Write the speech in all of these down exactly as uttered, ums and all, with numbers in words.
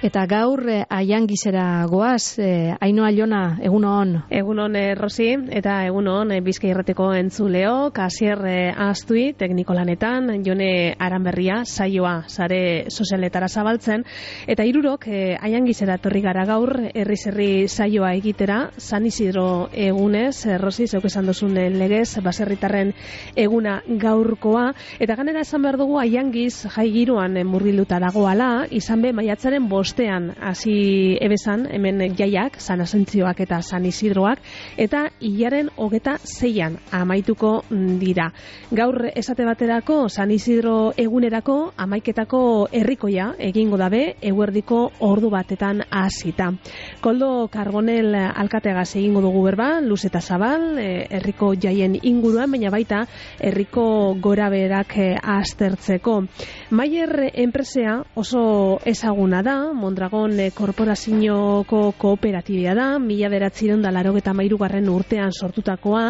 Eta gaur eh, Aiangizera goaz, eh, Ainhoa Jona, egun on. Egun on, eh, Rosi, eta egun on, eh, Bizkai Irratiko entzuleo, Kasier eh, Astui, tekniko lanetan, Jone Aranberria, saioa, sare sozialetara zabaltzen, eta hirurok eh, Aiangizera torri gara gaur, herri-herri saioa egitera, San Isidro egunez, eh, Rosi, zeuk esan duzun legez, baserritarren eguna gaurkoa, eta ganera esan behar dugu Aiangiz jai giroan eh, murgilduta dagoala, izan be maiatzaren bost Ostean, hasi ebezan, hemen jaiak, San Asentzioak eta San Isidroak, eta hilaren hogeta zeian amaituko dira. Gaur esate baterako, San Isidro egunerako, amaiketako herrikoia egingo dabe, eguerdiko ordu batetan hasita. Koldo Karbonel alkateagaz egingo dugu berba, luz eta zabal, herriko jaien inguruan, baina baita herriko goraberak aztertzeko. Maier enpresea oso ezaguna da, Mondragon korporazioko kooperatibia da, mila bederatziehun eta laurogeita hamairugarren urtean sortutakoa,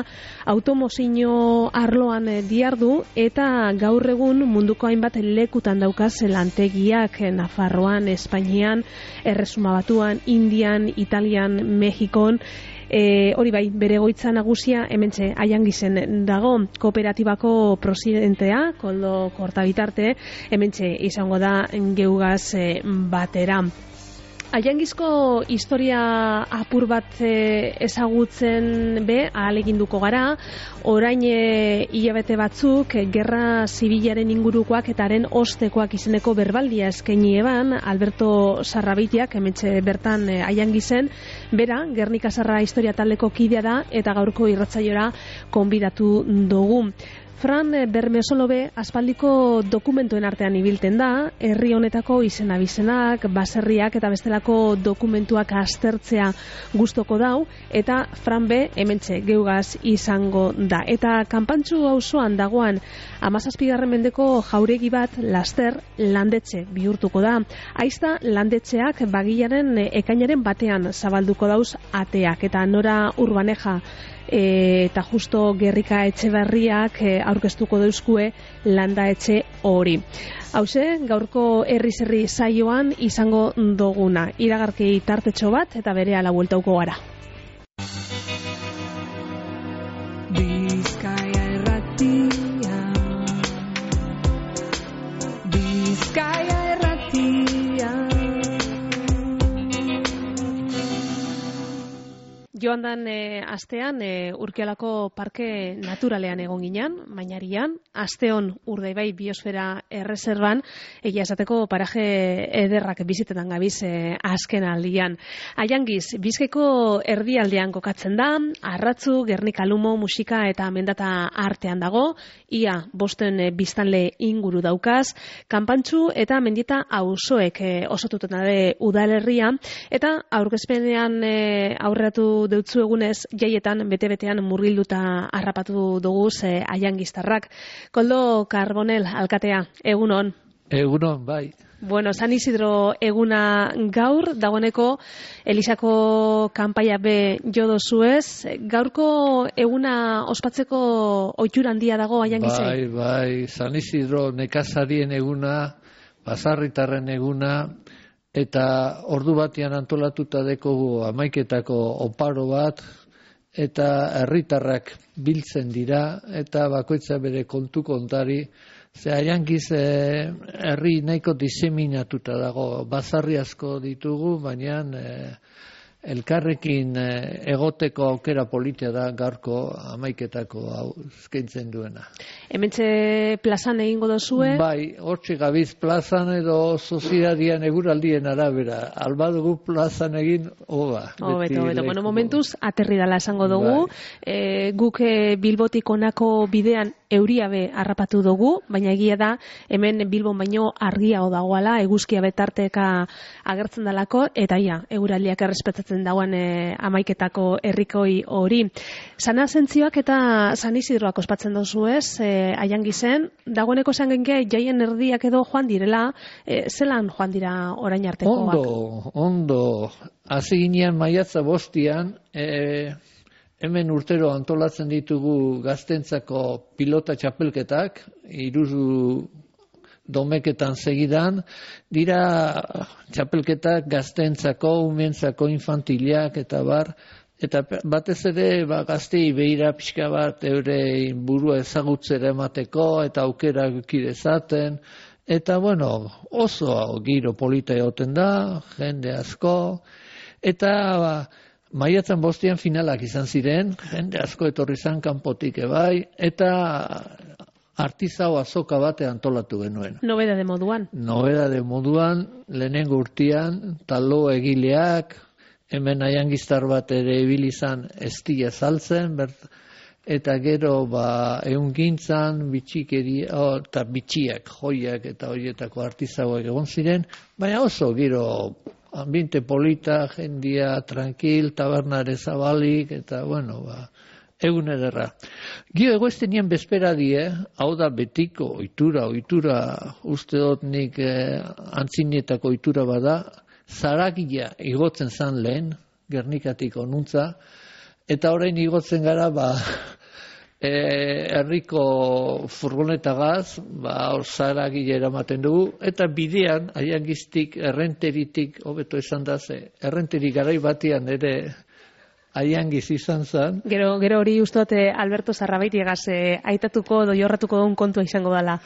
automozio arloan diardu eta gaur egun munduko hainbat lekutan daukaz lantegiak Nafarroan, Espainian, Erresuma Batuan, Indian, Italian, Mexikon. E, hori bai, bere egoitza nagusia hementxe Aiangizen dago, kooperatibako presidentea, Koldo Kortabitarte, hementxe izango da geugaz e, batera. Aiangizko historia apur bat ezagutzen be, ahaleginduko gara, orain e, hilabete batzuk, gerra zibilaren ingurukoak eta haren ostekoak izeneko berbaldia eskaini eban, Alberto Sarrabitiak, hementxe bertan e, Aiangizen, bera, Gernika Sarra historia taldeko kidea da, eta gaurko irratzaiora konbidatu dugu. Fran Bermesolobe aspaldiko dokumentuen artean ibilten da, herri honetako izen-abizenak, baserriak eta bestelako dokumentuak aztertzea gustoko dau, eta Fran B hementxe geugaz izango da. Eta Kanpantxu auzoan dagoan hamazazpigarren mendeko jauregi bat laster landetxe bihurtuko da. Aizta landetxeak bagilaren ekainaren batean zabalduko dauz ateak, eta Nora Urbaneja E, eta justo Gerrika Etxeberriak e, aurkeztuko dauzkue landa etxe hori. Hauze, gaurko herri-herri saioan izango duguna. Iragarki tartetxo bat eta berehala bueltauko gara. Bizkaia Irratia, Bizkaia Irratia. Joan dan e, astean e, Urkialako parke naturalean egon ginen, Mainarian, asteon Urdaibai biosfera erreserban, egia esateko paraje ederrak bizitetan gabiz e, azken aldian. Aiangiz, Bizkaiko erdialdean kokatzen da, arratzu, Gernika Lumo, musika eta mendata artean dago, ia bosten e, biztanle inguru daukaz, Kanpantxu eta mendieta auzoek e, osotuten dabe udalerria, eta aurkezpenean e, aurreratu deutzu egunez jaietan bete-betean murgilduta harrapatu dugu e, Aiangiztarrak. Koldo Karbonel alkatea, egunon. Egunon, bai. Bueno, San Isidro eguna gaur, dagoeneko Elisako kanpaia be jodo zuez. Gaurko eguna ospatzeko ohitura handia dago Aiangizen? Bai, bai, San Isidro nekazarien eguna, baserritarren eguna, eta ordu batean antolatuta dekogu hamaiketako oparo bat, eta herritarrak biltzen dira, eta bakoitza bere kontu kontari, ze Aiangiz eh, herri nahiko diseminatuta dago, basarri asko ditugu, baina eh, elkarrekin eh, egoteko aukera politia da gaurko hamaiketako hau eskaintzen duena. Hementxe plazan egingo dozue? Bai, hortxe gabiz plazan edo soziadian eguraldien arabera. Albadugu plazan egin, oba. Hobeto, hobeto. Bueno, momentuz, aterri dala esango dugu. Bai. E, guk e, Bilbotik honako bidean euriabe harrapatu dugu, baina egia da, hemen Bilbon baino argiago dagoala, eguzkia betarteka agertzen dalako, eta ia, eguraldiak errespetatzen dagoen e, amaiketako herrikoi hori. San Asentzioak eta San Isidroak ospatzen dozu ez, e, Aiangizen, dagoeneko esan genke jaien erdiak edo joan direla, e, zelan joan dira orain artekoak? Ondo, ondo, hasi ginean maiatza bostian, e, hemen urtero antolatzen ditugu gaztentzako pilota txapelketak, hiru domeketan segidan, dira txapelketak gaztentzako, umentzako, infantiliak eta bar, eta batez ere ba, gaztei behira pixka bat eure burua ezagutzera emateko eta aukera kidezaten, eta bueno, oso giro polita egoten da, jende asko, eta ba, maiatzan bostean finalak izan ziren, jende asko etorri zan kanpotik ebai, eta artizau azoka bate antolatu genuen. Nobeda de moduan. Nobeda de moduan, lehenengo urtean, talo egileak, hemen aiangiztar bat ere ibili izan estia saltzen, bert, eta gero ba, eungintzan, bitxikeri, oh, eta bitxiak, joiak eta horietako artizauak egon ziren, baina oso giro ambiente polita, jendia, tranquil, tabernare zabalik, eta bueno, ba, egun ederra. Gio egoizten nien bezpera die, hau da betiko ohitura, ohitura uste dut nik eh, antzinietako ohitura bada, zaragia igotzen zan lehen, Gernikatik onuntza, eta orain igotzen gara, ba, e, herriko furgonetagaz, ba, zaragia eramaten dugu, eta bidean, aiangiztik, errenteritik, hobeto esan da ze, errenterik garai batian ere, aiangiz izan zen. Gero, gero hori ustote Alberto Zarrabaitiegaz eh, aitatuko doiorratuko duen kontua izango dela.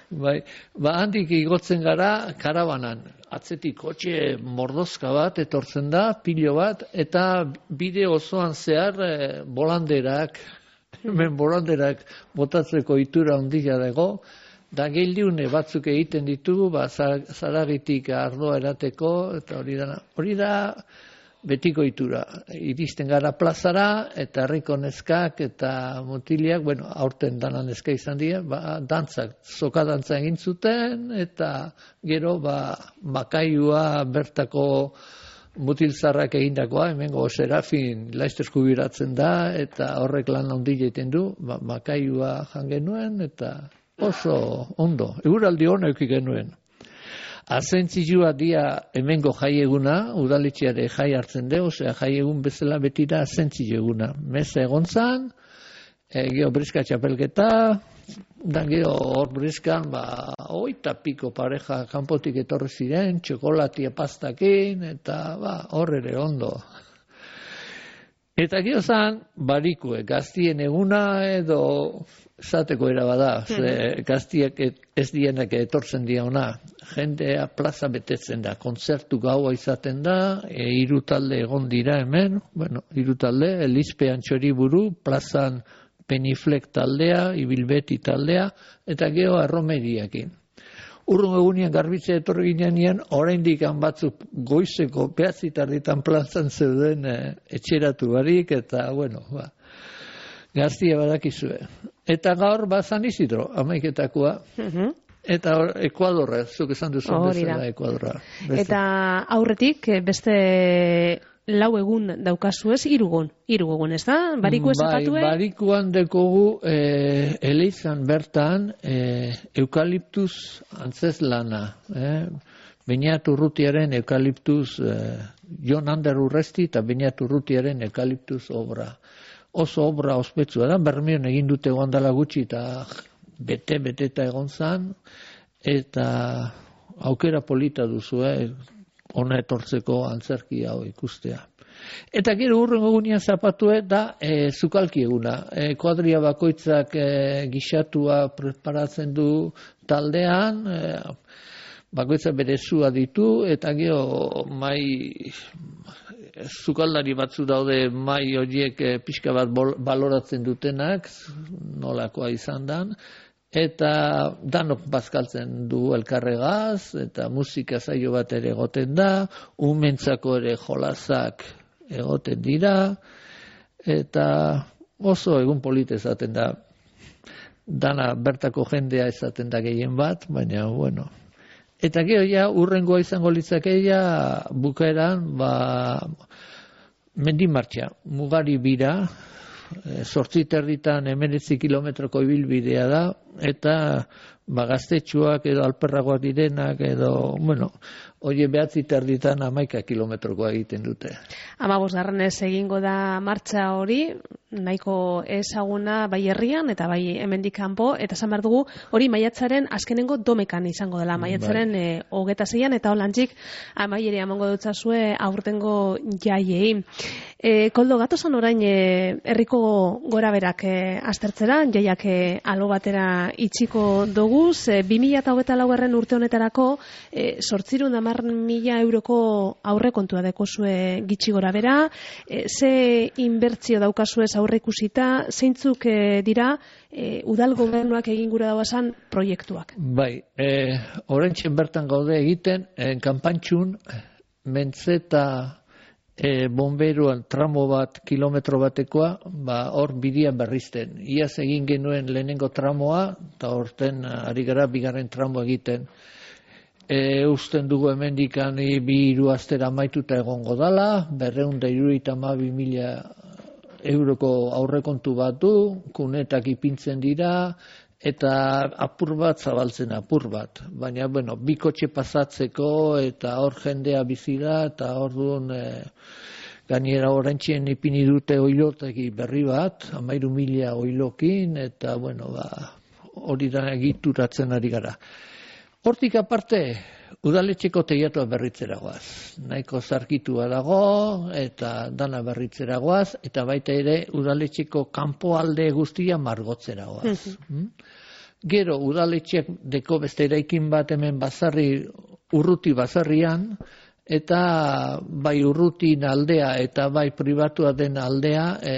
Bai, ba handik igotzen gara karabanan. Atzetik kotxe mordozka bat etortzen da, pilo bat, eta bide osoan zehar eh, bolanderak, hemen bolanderak botatzeko itura handia dago, da geldiune batzuk egiten ditugu, ba, zaragitik ardoa erateko, eta hori da, hori da, betiko itura. Iristen gara plazara, eta herriko neskak eta mutiliak, bueno, aurten dana neska izan dira, ba, dantzak, soka dantza egin zuten, eta gero, ba, makaiua bertako mutilzarrak egindakoa, hemengo Serafin laizter jubiratzen da, eta horrek lan handi egiten du, ba, makaiua jan genuen, eta oso ondo, eguraldi hona euki genuen. Azentzilua dia hemengo jaieguna, udaletxeare jai hartzen de, osea jaiegun bezala beti da azentzilua. Meza egon zan, e, geho briska txapelketa, dan geho hor briskan, ba, oita piko pareja kanpotik etorri ziren, txokolatia pastakin, eta ba, hor ere ondo. Eta geho zan, barikue, gaztien eguna edo zateko erabada, ze gaztiak ez dienak etortzen dia ona. Jendea plaza betetzen da, kontzertu gaua izaten da, e, hiru talde egon dira hemen, bueno, hiru talde, Elizpe Antxoriburu, plazan Peniflek taldea, Ibilbeti taldea, eta geho arromeriakin. Urrun egunean garbitze etorri ginean, oraindik batzuk goizeko behatzitarditan plazan zeuden e, etxeratu barik, eta bueno, ba, gaztia badakizue. Eta gaur ba San Isidro, amaiketakoa. Uh-huh. Eta Ekuadorra, zuk esan duzun bezala Ekuadorra. Beste. Eta aurretik beste lau egun daukazu ez, irugun, irugun, ez da? Bariku ez zapatue? Bai, barikuan dekogu eh, eleizan bertan eh, eukaliptuz antzeslana. Eh? Beñat Urrutiaren eukaliptuz, eh, Jon Ander Urresti eta Beñat Urrutiaren eukaliptuz obra. Oso obra ospetsua da, Bermeon egin dute guandala gutxi eta bete-beteta egon zan, eta aukera polita duzu, eh, ona etortzeko antzerki hau ikustea. Eta gero urrengo egunean zapatue da e, zukalki eguna. E, kuadria bakoitzak e, gixatua preparatzen du taldean, e, bakoitzak bere zua ditu, eta gero mai zukaldari batzu daude mai horiek e, pixka bat bol, baloratzen dutenak, nolakoa izan dan, eta danok bazkaltzen du elkarregaz, eta musika saio bat ere egoten da, umentzako ere jolasak egoten dira, eta oso egun polite esaten da, dana bertako jendea esaten da gehien bat, baina, bueno. Eta gero ja, urrengoa izango litzakeia, bukaeran, ba, mendimartxa, mugari bira, sortzi terditan emeretzi kilometroko ibilbidea da, eta ba, gaztetxuak edo alperragoak direnak edo, bueno, oie behatzi terditan hamaika kilometrokoa egiten dute. Hamabosgarrenez egingo da martxa hori, nahiko ezaguna bai herrian eta bai hemendik kanpo, eta esan behar dugu hori maiatzaren azkenengo domekan izango dela, maiatzaren bai. e, hogeta zeian, eta holantzik amaieri amango dutzazue aurtengo jaiei. E, Koldo, gatozan orain e, herriko gora berak e, aztertzera, jaiak e, alo batera itxiko doguz, e, bi mila hogeta laugarren urte honetarako e, sortzirun hamar mila euroko aurrekontua dekozue gitxi gora bera, e, ze inbertzio daukazuez aurre ikusita, zeintzuk e, dira e, udal gobernuak egin gura dauazan proiektuak? Bai, e, orentxen bertan gaude egiten, en kanpantxun, mentzeta e, bomberuan tramo bat, kilometro batekoa, ba, hor bidia berrizten. Iaz egin genuen lehenengo tramoa, eta horten ari gara bigarren tramo egiten. E, usten dugu hemendikan bi hiru astera amaituta egongo dala, berreun da hirurogeita hamabi mila euroko aurrekontu bat du, kunetak ipintzen dira, eta apur bat zabaltzen apur bat. Baina, bueno, bi kotxe pasatzeko eta hor jendea bizi da, eta hor duen e, gainera oraintxien ipini dute oilotegi berri bat, hamairu mila oilokin, eta, bueno, ba, hori da egituratzen ari gara. Hortik aparte, udaletxeko teiatua berritzeragoaz. Nahiko zarkitua dago eta dana berritzeragoaz, eta baita ere udaletxeko kanpoalde guztia margotzeragoaz. Mm? Gero udaletxeak deko beste eraikin bat hemen bazarri, urruti bazarrian, eta bai urrutin aldea eta bai pribatua den aldea e,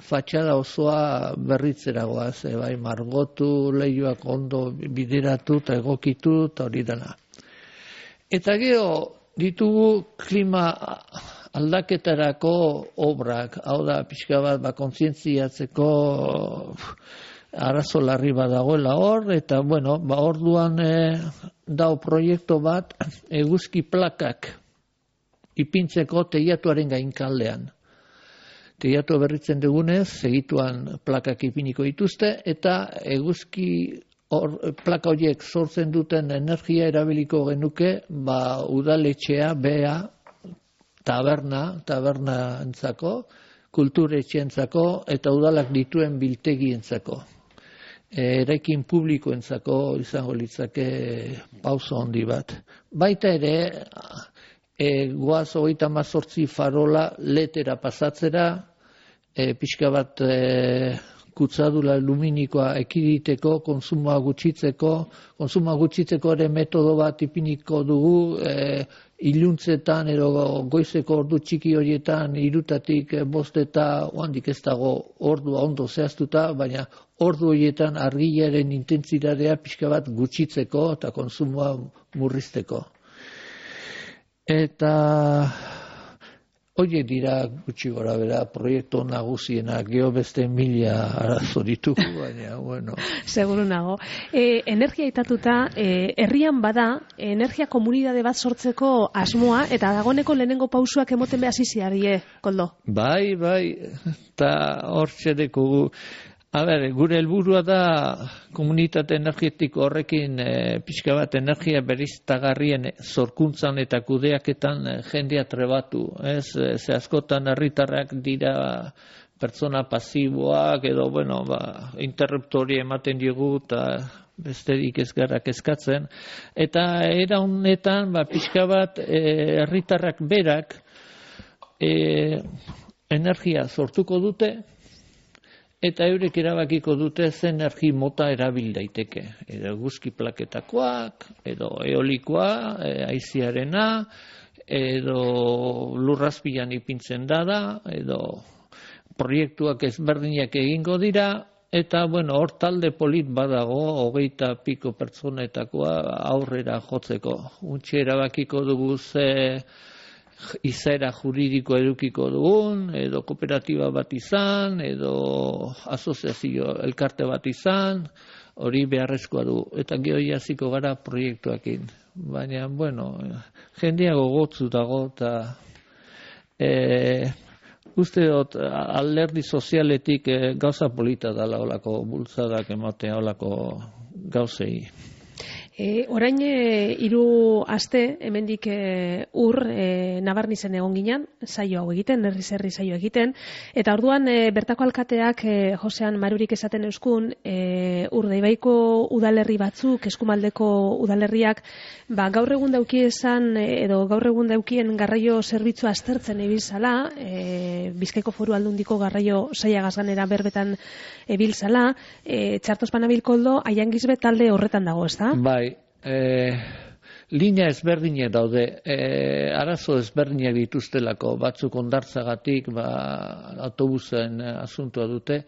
fatxada osoa berritzeragoaz, e, bai margotu, lehioak ondo bideratu eta egokitu eta hori dena. Eta gero ditugu klima aldaketarako obrak, hau da pixka bat ba, kontzientziatzeko arazo larri bat dagoela hor, eta bueno, ba, orduan e, dau proiektu bat eguzki plakak ipintzeko teiatuaren gainkaldean. Teiatua berritzen dugunez, segituan plakak ipiniko dituzte, eta eguzki or, plaka horiek sortzen duten energia erabiliko genuke, ba, udaletxea, bea, taberna, taberna entzako, kulturetxeentzako, eta udalak dituen biltegientzako. E, eraikin publikoentzako izango litzake pauso handi bat. Baita ere, E, goaz hogeita hamazortzi farola letera pasatzera, e, pixka bat e, kutsadura luminikoa ekiditeko, konsumoa gutxitzeko, konsumoa gutxitzeko ere metodo bat ipiniko dugu, e, iluntzetan edo goizeko ordu txiki horietan irutatik bost eta oandik ez dago ordua ondo zehaztuta, baina ordu horietan argiaren intentsitatea pixka bat gutxitzeko eta konsumoa murrizteko. Eta horiek dira gutxi gora bera proiektu nagusienak, geho beste mila arazo ditugu, baina, bueno. Seguru nago. E, energia itatuta, e, herrian bada, energia komunidade bat sortzeko asmoa, eta dagoneko lehenengo pausuak emoten behar ziziarie, Koldo? Bai, bai, eta hor txedeko A ber, gure helburua da komunitate energetiko horrekin e, pixka bat energia beriztagarrien zorkuntzan eta kudeaketan e, jendea trebatu. Ez, ze askotan herritarrak dira pertsona pasiboak edo, bueno, ba, interruptori ematen diogu eta besterik ez gara kezkatzen. Eta era honetan, ba, pixka bat herritarrak e, berak e, energia sortuko dute, eta eurek erabakiko dute zen energi mota erabil daiteke. Edo eguzki plaketakoak, edo eolikoa, e, haiziarena, edo lurrazpilan ipintzen dada, edo proiektuak ezberdinak egingo dira, eta bueno, hor talde polit badago, hogeita piko pertsonetakoa aurrera jotzeko. Untxe erabakiko dugu ze izaera juridiko edukiko dugun, edo kooperatiba bat izan, edo asoziazio elkarte bat izan, hori beharrezkoa du. Eta gero jasiko gara proiektuakin. Baina, bueno, jendea gogotzu dago, eta e, uste dut alderdi sozialetik e, gauza polita dala olako bultzadak ematea olako gauzei. E, orain e, hiru aste hemendik e, ur e, Nabarnizen egon ginen, saio hau egiten, herriz herri saio egiten, eta orduan e, bertako alkateak e, Josean Marurik esaten euskun, e, Urdaibaiko udalerri batzuk, eskumaldeko udalerriak, ba, gaur egun dauki esan, edo gaur egun daukien garraio zerbitzua aztertzen ebiltzala, e, Bizkaiko Foru Aldundiko garraio saia gazganera berbetan ebiltzala, e, Txartos Panabilkoldo Aiangizbe talde horretan dago, ez da? Bai. E, linea ezberdinak daude, e, arazo ezberdinak dituztelako, batzuk ondartzagatik, ba, autobusen asuntua dute,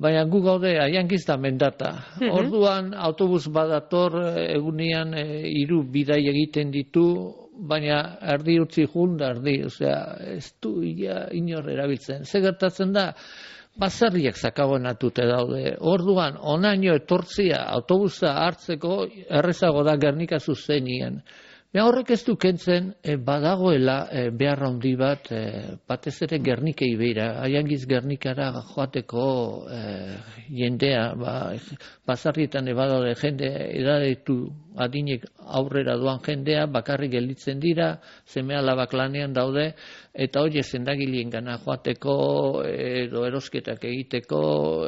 baina gu gaude Aiangiz da Mendata. Mm-hmm. Orduan autobus badator egunean e, hiru bidai egiten ditu, baina erdi utzi jun da erdi, osea, ez du ia inor erabiltzen. Ze gertatzen da, baserriak zakabanatute daude. Orduan, onaino etortzia autobusa hartzeko errezago da Gernika zuzenien. Baina horrek ez du kentzen, e, badagoela e, behar handi bat, e, batez ere Gernikei beira. Aiangiz Gernikara joateko e, jendea, ba, basarrietan ebadaude jende edadetu adinek aurrera doan jendea, bakarrik gelditzen dira, seme alabak lanean daude, eta hori zendagileen gana joateko, edo erosketak egiteko,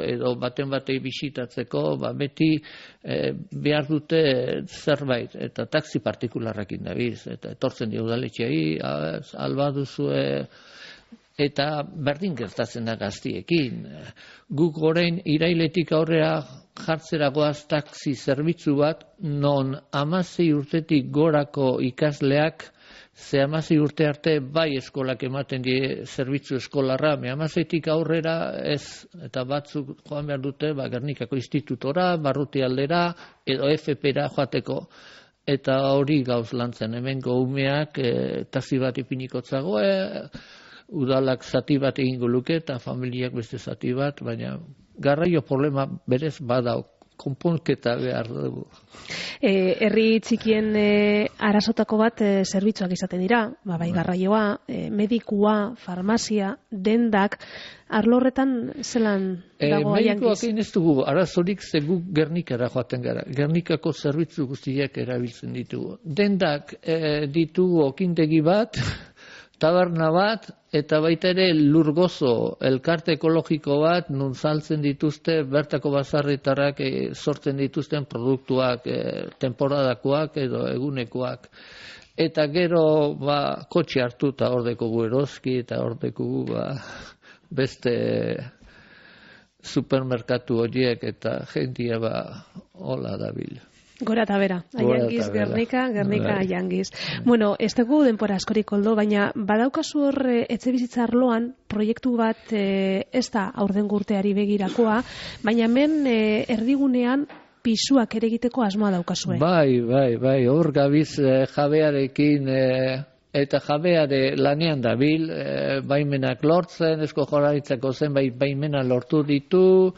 edo baten batei bisitatzeko, ba, beti e, behar dute zerbait, eta taxi partikularrakin dabiz, eta etortzen dio udaletxeai, alba duzue, eta berdin gertatzen da gaztiekin. Guk orain irailetik aurrera jartzeragoaz taxi zerbitzu bat, non hamasei urtetik gorako ikasleak, ze hamasei urte arte bai eskolak ematen die zerbitzu eskolarra, me hamaseitik aurrera ez, eta batzuk joan behar dute, ba, Gernikako institutora, Barruti aldera, edo F P-ra joateko. Eta hori gauz lantzen, hemengo umeak e, taxi bat ipiniko e, udalak zati bat egingo luke, eta familiak beste zati bat, baina garraio problema berez badau, konponketa behar dugu. E, herri txikien e, arazotako bat e, zerbitzuak izaten dira, ba, bai garraioa, e, medikua, farmazia, dendak, arlo horretan zelan dago e, Aiangiz? Medikoak egin ez dugu, arazorik ze guk Gernikara joaten gara. Gernikako zerbitzu guztiak erabiltzen ditugu. Dendak e, ditugu okindegi bat, taberna bat, eta baita ere lurgozo, elkarte ekologiko bat, nun saltzen dituzte, bertako bazarritarrak e, sortzen dituzten produktuak, e, temporadakoak edo egunekoak. Eta gero, ba, kotxe hartu eta hordeko gu eroski, eta hordeko gu, ba, beste supermerkatu horiek, eta jendia, ba, hola dabil. Gora eta bera, Aiangiz, Gernika, Gernika, Aiangiz. Bueno, ez dugu denpora askorik koldo, baina badaukazu hor etxe bizitza arloan proiektu bat e, ez da aurten urteari begirakoa, baina hemen e, erdigunean pisuak ere egiteko asmoa daukazue. Bai, bai, bai, hor gabiz e, jabearekin e, eta jabeare lanean dabil, e, baimenak lortzen, Eusko Jaurlaritzako zenbait baimena lortu ditu,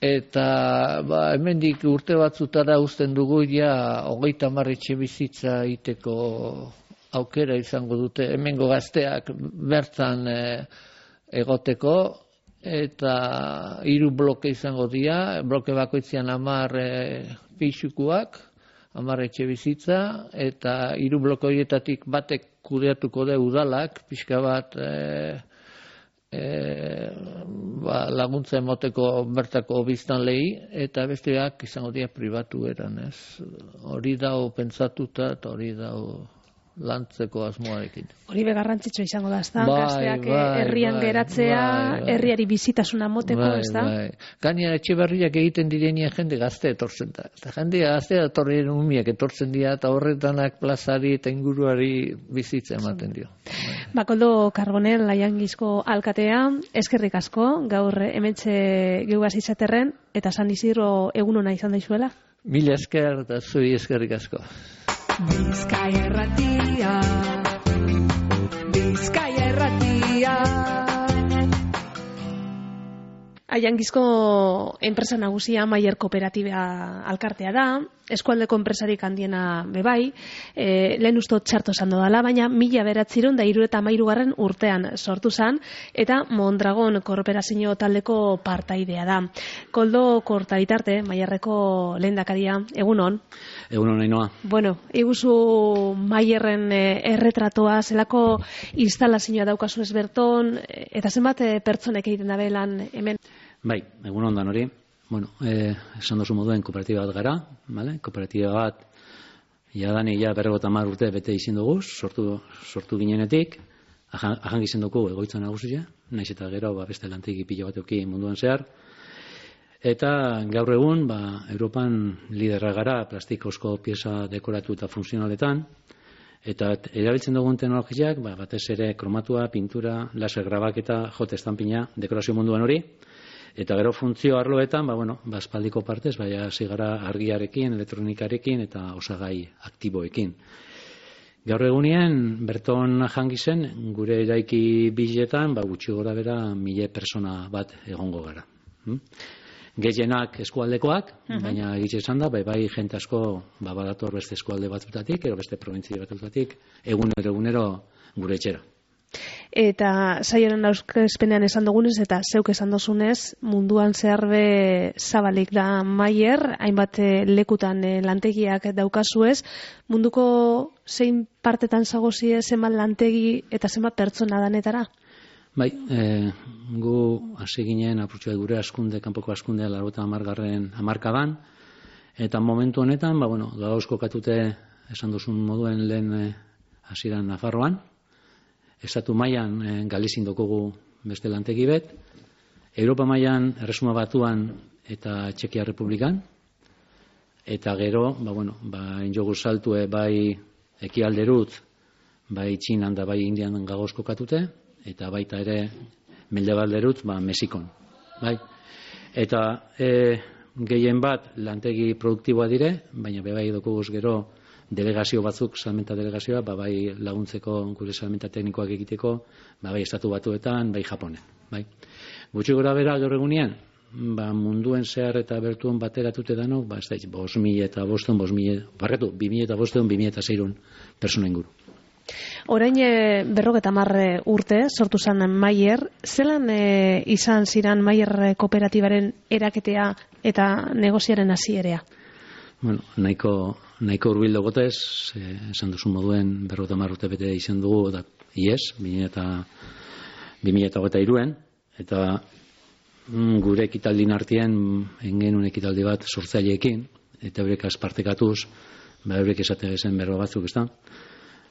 eta ba, hemendik urte batzutara uzten dugu ja hogeita hamar etxe bizitza iteko aukera izango dute hemengo gazteak bertan e, egoteko, eta hiru bloke izango dira, bloke bakoitzean hamar e, pixukuak, hamar etxe bizitza, eta hiru bloke horietatik batek kudeatuko da udalak, pixka bat e, E, ba, laguntza emoteko bertako biztanleei, eta besteak izango dira pribatu eran, ez? Hori dau pentsatuta eta hori dau lantzeko asmoarekin. Hori begarrantzitsua izango da, ez da? Bai, Gazteak bai, herrian bai, geratzea, bai, bai. herriari bizitasuna moteko, Bai, ez da? bai. Gainera etxe berriak egiten direnia jende gazte etortzen da. Eta jende gazte etorrien umiak etortzen dira, eta horretanak plazari eta inguruari bizitza ematen dio. Bai. Bakoldo Karbonel, Aiangizko alkatea, eskerrik asko, gaur hementxe geugaz izaterren, eta San Isidro egun ona izan daizuela? Mila esker eta zui eskerrik asko. Bizkaia erratia, Bizkaia erratia. Aiangizko enpresa nagusia Maier Kooperatiba alkartea da, eskualdeko enpresarik handiena bebai, e, lehen ustot txarto esan dodala, baina mila beratziron da hiru eta hamairugarren urtean sortu zan, eta Mondragon korporazio taldeko partaidea da. Koldo Kortaritarte, Maierreko lehendakaria, egunon? Egunon, Ainoa. Bueno, iguzu Maierren e, erretratoa, zelako instalazioa daukazu ez berton, eta zenbat e, pertsonek egiten dabe lan hemen? Bai, egunon dan hori. Bueno, eh, esan dozu moduen kooperatiba bat gara, vale? Kooperatiba bat, jadani ja berrogota hamar urte bete izin dugu, sortu, sortu ginenetik, ahan gizien dugu egoitza nagusia, naiz eta gero ba, beste lantegi pilo bat euki munduan zehar. Eta gaur egun, ba, Europan liderra gara plastikozko pieza dekoratu eta funtzionaletan, eta erabiltzen dugun teknologiak, ba, batez ere kromatua, pintura, laser grabaketa, jote estampina, dekorazio munduan hori, eta gero funtzio arloetan, ba, bueno, ba, espaldiko partez, baina hasi gara argiarekin, elektronikarekin eta osagai aktiboekin. Gaur egunien, berton jangi zen, gure eraiki biletan, ba, gutxi gora bera, mile persona bat egongo gara. Hm? Gehienak eskualdekoak, uh-huh. baina egitxe esan da, bai, bai jente asko ba, badator beste eskualde batzutatik, ero beste provintzia batzutatik, egunero egunero gure etxera. Eta saioaren aurkezpenean esan dugunez eta zeuk esan dozunez, munduan zehar be zabalik da Maier, hainbat lekutan lantegiak daukazuez, munduko zein partetan zagozie zenbat lantegi eta zenbat pertsona danetara? Bai, e, gu hasi ginen apurtxoa gure askunde, kanpoko askunde laurogeita hamargarren hamarkadan, eta momentu honetan, ba, bueno, gauz kokatute esan duzun moduen lehen hasieran Nafarroan, Estatu mailan e, Galizin dokogu beste lantegi bet, Europa mailan Erresuma Batuan eta Txekia Republikan, eta gero, ba, bueno, ba, injogu saltue bai ekialderut, bai Txinan da bai Indian gagoz kokatute, eta baita ere mendebalderut, ba, Mexikon. Bai? Eta e, gehien bat lantegi produktiboa dire, baina bebai dokuguz gero delegazio batzuk, salmenta delegazioa, ba, bai laguntzeko gure salmenta teknikoak egiteko, ba, bai Estatu Batuetan, bai Japonen. Bai? Gutxi gora bera gaur egunean, ba, munduen zehar eta bertuen bateratute danok, ba, ez da, bos mila eta boston, bos mila, barretu, bi mila eta boston, bi mila eta zeirun persona inguru. Orain e, berrogeta hamar urte sortu zen Maier, zelan e, izan ziran Maier kooperatibaren eraketea eta negoziaren hasierea? Bueno, nahiko, nahiko urbildo gotez, eh, esan duzu moduen berrogeta hamar urte bete izan dugu, da, ies, bi mila eta hiruen, eta mm, gure ekitaldin artien, engenun ekitaldi bat sortzaileekin, eta eurek azpartekatuz, ba, eurek esate zen berro batzuk, ez da?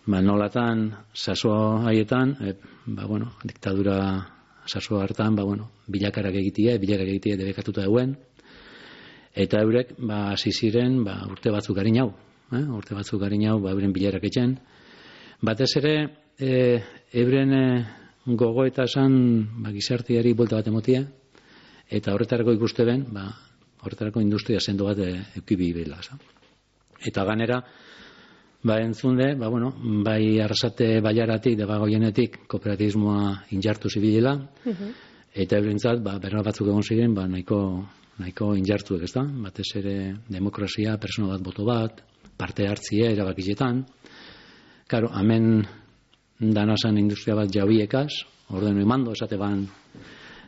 Ba, nolatan, saso haietan, e, ba, bueno, diktadura saso hartan, ba, bueno, bilakarak egitie, bilakarak egitie debekatuta eguen, eta eurek, ba, hasi ziren, ba, urte batzuk garin hau, eh? urte batzuk garin hau, ba, euren bilarak etxen. Batez ere, e, euren e, gogo eta esan, ba, gizartiari buelta bat emotia, eta horretarako ikuste ben, ba, horretarako industria sendo bat e, eukibi bela. Eta ganera, ba, entzunde, ba, bueno, bai Arrasate Bailaratik, deba goienetik, kooperatibismoa injartu zibilela, uh-huh. eta eurentzat, ba, berra batzuk egon ziren, ba, nahiko, nahiko injartuek, ez da? Batez ere demokrazia, persona bat boto bat, parte hartzie, erabakietan. Karo, hemen danazan industria bat jauiekaz, ordenu imando, esate ban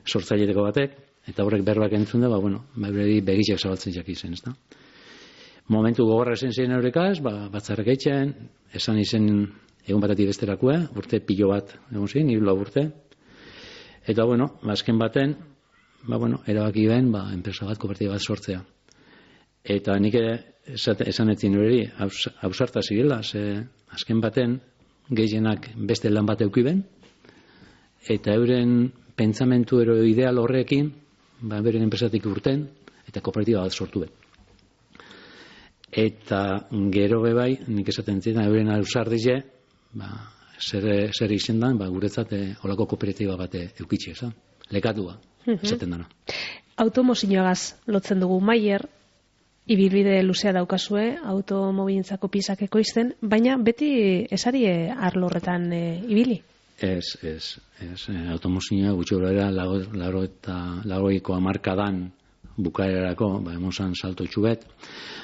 sortzaileteko batek, eta horrek berbak entzunde, ba, bueno, ba, begitxek zabaltzen jak izen, ez da? Momentu gogorra esen ziren eurekaz, ba, batzarrek eitzen, esan izen egun batatik besterakue, urte pilo bat egon ziren, hiru lau urte. Eta, bueno, azken baten, ba, bueno, erabaki ben, ba, enpresa bat, kooperatiba bat sortzea. Eta nik esan etzin hori, hausarta zirela, ze azken baten gehienak beste lan bat eukiben, eta euren pentsamentu ero ideal horrekin, ba, beren enpresatik urten, eta kooperatiba bat sortu ben. Eta gero bebai, nik esaten zidan, euren ausardize, ba, zer, zer izendan, ba, guretzat e, olako kooperatiba bat eukitxe, eza? Lekatua, esaten dana. Automozioagaz lotzen dugu Maier, ibilbide luzea daukazue, automobilintzako piezak ekoizten, baina beti esari arlo horretan e, ibili? Ez, ez, ez, automozioa gutxi horrela lago eta lagoiko hamarkadan bukaerarako, ba, emon zan salto txubet.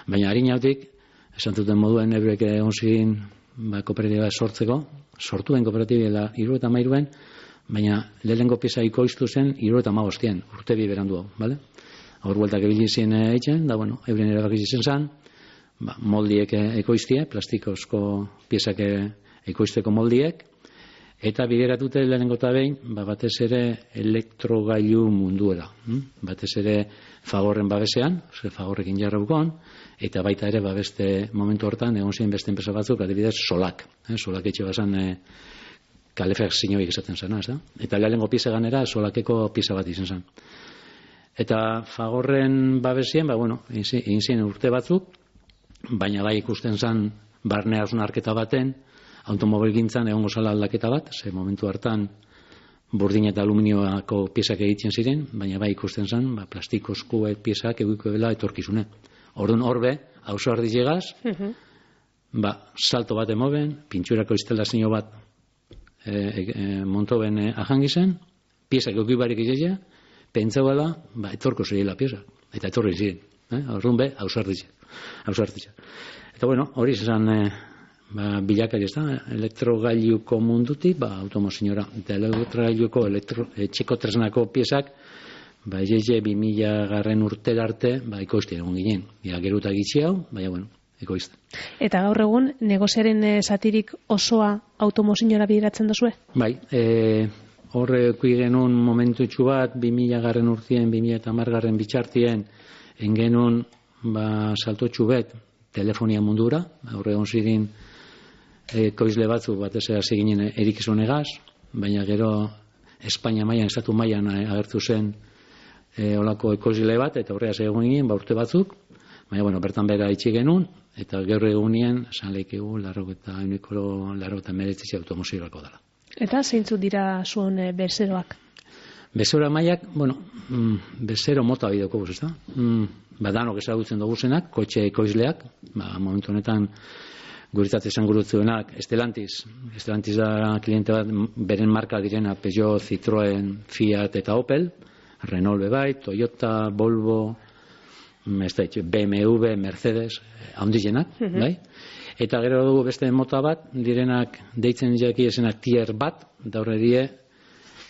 Baina harinautik, esan duten moduen eurek egon ziren ba, kooperatiba sortzeko, sortu den kooperatibela hiru eta mairuen, baina lehenengo pieza ikoiztu zen hiru eta hamabostien, urte bi berandu hau, bale? Hor bueltak ebili zien eitzen, da bueno, euren erabaki zen zan, ba, moldiek ekoiztie, plastikozko piezak ekoizteko moldiek, eta bideratute lehenengo eta behin, ba, batez ere elektrogailu munduera. Hm? Batez ere Fagorren babesean, ze Fagorrekin jarra bukon, eta baita ere babeste momentu hortan, egon ziren beste enpresa batzuk, adibidez Solak. Eh? Solak etxe bazan eh, kalefakzioik esaten zena, ez da? Eta lehenengo pieza ganera Solakeko pieza bat izan zen. Eta Fagorren babesien, ba, bueno, egin ziren urte batzuk, baina bai ikusten zen barne hausnarketa baten, automobilgintzan egongo zala aldaketa bat, ze momentu hartan burdin eta aluminioako piezak egiten ziren, baina bai ikusten zen, ba, plastikozko piezak egiko dela etorkizune. Orduan horbe, hauzo ardizegaz, uh-huh. ba, salto bat emoben, pintxurako instalazio bat e, e, montoben e, ahangizen, piezak egibarik izia, pentsau da, ba, etorko zirela piezak, eta etorri ziren. Eh? Orduan be, hauzo ardizegaz. Eta bueno, hori izan e, ba, bilakari ez da, elektrogailuko mundutik, ba, automozinora, eta elektrogailuko elektro, e, txeko tresnako piezak, ba, ez bi mila garren urtera arte, ba, ekoizte egon ginen. Ja, geruta gitzi hau, baina, bueno, ekoizte. Eta gaur egun, negoziaren e, zatirik osoa automozinora bideratzen dozue? Bai, e, horre genuen momentu txu bat, bi mila garren urtien, bi mila eta hamar garren bitxartien, engenun, ba, salto txubet, telefonia mundura, horre egon zirin, ekoizle batzu batez hasi ginen erikizonegaz, baina gero Espainia mailan, estatu mailan agertu zen e, olako ekoizle bat, eta horreaz egon ginen, ba, urte batzuk, baina, bueno, bertan bera itxi genuen, eta gaur egunien, esan lehikegu, larrok eta uniko larrok eta meretzitze automozioako dela. Eta zeintzuk dira zuen e, bezeroak? Bezero mailak, bueno, mm, bezero mota bideko guz, ez da? Mm, ba, danok ezagutzen dugu zenak, kotxe ekoizleak, ba, momentu honetan, guritat esan gurutzuenak, Estelantis. Estelantis da kliente bat, beren marka direna Peugeot, Citroën, Fiat eta Opel, Renault bebai, Toyota, Volvo, B M W, Mercedes, haundizenak, uh-huh. bai? Eta gero dugu beste mota bat, direnak deitzen jaki esenak tier bat, da horre die,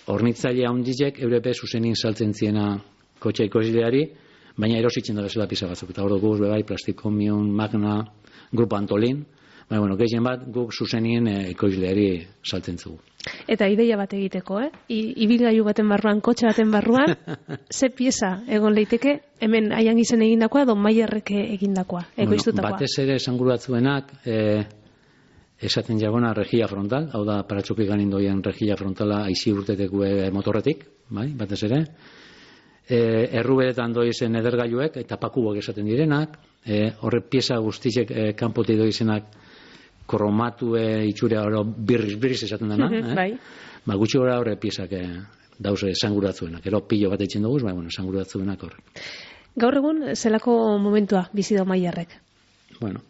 hornitzaile haundizek, eurepe zuzenin saltzen ziena kotxe ekoizleari, baina erositzen da bezala pisa batzuk. Eta hor dugu bebai, Plastikomion, Magna, Grupo Antolin, baina, bueno, gehien bat, guk zuzenien ekoizleari saltzen zugu. Eta ideia bat egiteko, eh? Ibilgailu baten barruan, kotxe baten barruan, ze pieza egon leiteke, hemen aian izen egindakoa, edo Maierrek egindakoa, ekoiztutakoa? Bueno, batez ere esanguru batzuenak, eh, esaten jagona regia frontal, hau da, paratxokik ganin doian regia frontala aizi urteteku motorretik, bai, batez ere, eh, erruberetan doizen edergailuek, eta pakuak esaten direnak, eh, horre pieza guztizek eh, kanpoti doizenak, kromatu e, itxure oro birriz-birriz esaten dena, eh? Bai. Ba, gutxi gora horre piezak e, dauze esanguratzuenak. Ero pilo bat eitzen dugu, ba, bueno, esanguratzuenak horre. Gaur egun, zelako momentua bizi da Maierrek? Bueno,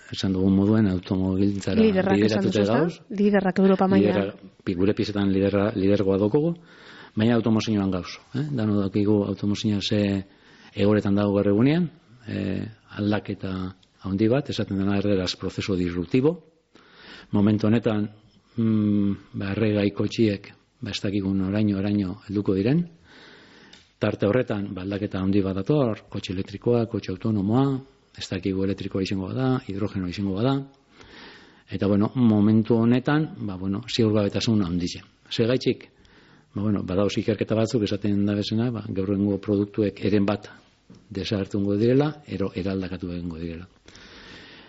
esan dugun moduen automobiltzara lideratute gauz. Liderrak Europa mailan. Gure piezetan liderra, lidergoa dokogu, baina automozioan gauz. Eh? Dano dakigu automozioa ze egoretan dago gaur egunean, eh, aldaketa handi bat, esaten dena erderaz prozeso disruptibo. Momentu honetan, mm, ba, erregai kotxiek, ba, ez dakigun oraino, oraino helduko diren. Tarte horretan, ba, aldaketa handi bat dator, kotxe elektrikoa, kotxe autonomoa, ez dakigu elektrikoa izango bada, hidrogeno izango bada. Eta, bueno, momentu honetan, ba, bueno, ziur gabetasun handize. Segaitxik, ba, bueno, badauz ikerketa batzuk esaten da bezena, ba, gaur egungo produktuek eren bat desagertungo direla, ero eraldakatu egingo direla.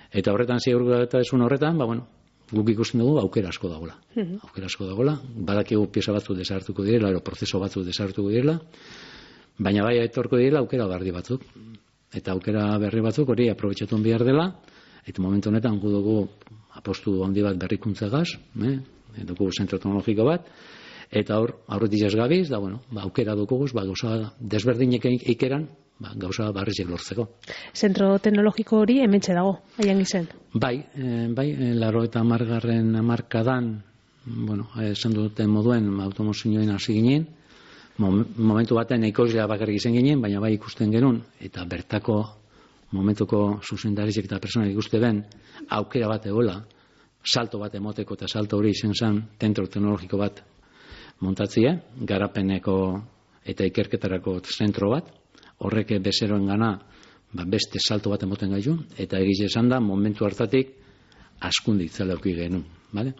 Eta horretan ziurgabetasun horretan, ba, bueno, guk ikusten dugu aukera asko dagoela. Uh-huh. Aukera asko dagoela, badakigu pieza batzu desagertuko direla, ero prozeso batzu desagertuko direla, baina bai etorko direla aukera berri batzuk. Eta aukera berri batzuk hori aprobetxatu behar dela, eta momentu honetan gu dugu apostu handi bat berrikuntzagaz, eh? dugu zentro teknologiko bat, eta hor, aurretik ez gabiz, da, bueno, ba, aukera dukuguz, ba, gauza desberdinek ikeran, ba, gauza barrizek lortzeko. Zentro teknologiko hori hementxe dago, aian izen? Bai, e, bai, e, laro eta margarren markadan, bueno, esan duten moduen, automozioen hasi ginen, momentu baten ekoizlea bakarrik izan ginen, baina bai ikusten genuen, eta bertako momentuko zuzendarizek eta personak ikuste ben, aukera bat egola, salto bat emoteko, eta salto hori izan zen zentro teknologiko bat montatzie, garapeneko eta ikerketarako zentro bat, horrek bezeroen gana ba, beste salto bat emoten gaitu, eta egiz esan da, momentu hartatik askunditzela auki genuen, bale?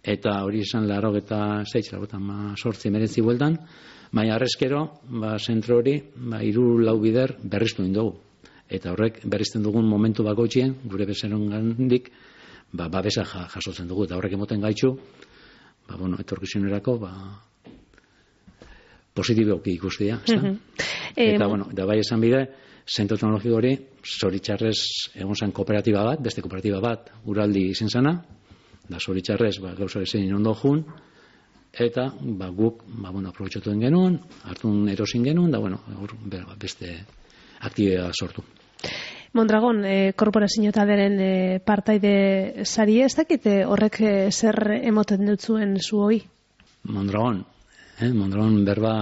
Eta hori izan laro eta zeitz, laro eta sortzi meretzi bueltan, baina arrezkero, ba, zentro hori, ba, iru lau bider berriztu indugu. Eta horrek berrizten dugun momentu bakoitzien, gure bezeroen gandik, ba, babesa jasotzen dugu, eta horrek emoten gaitxu, ba, bueno, etorkizunerako, ba, positiboki ikustia, ez da? Mm-hmm. Eta, eh, bueno, da bai esan bide, zentro teknologiko hori, zoritxarrez egon zen kooperatiba bat, beste kooperatiba bat, uraldi izen zana, da zoritxarrez, ba, gauza bezein ondo jun, eta, ba, guk, ba, bueno, aprobetxatuen genuen, hartun erosin genuen, da, bueno, beste aktibea sortu. Mondragon, eh, korporazio talderen eh, partaide sari ez dakit horrek eh, zer emoten dutzuen zu hoi? Mondragon, eh, Mondragon berba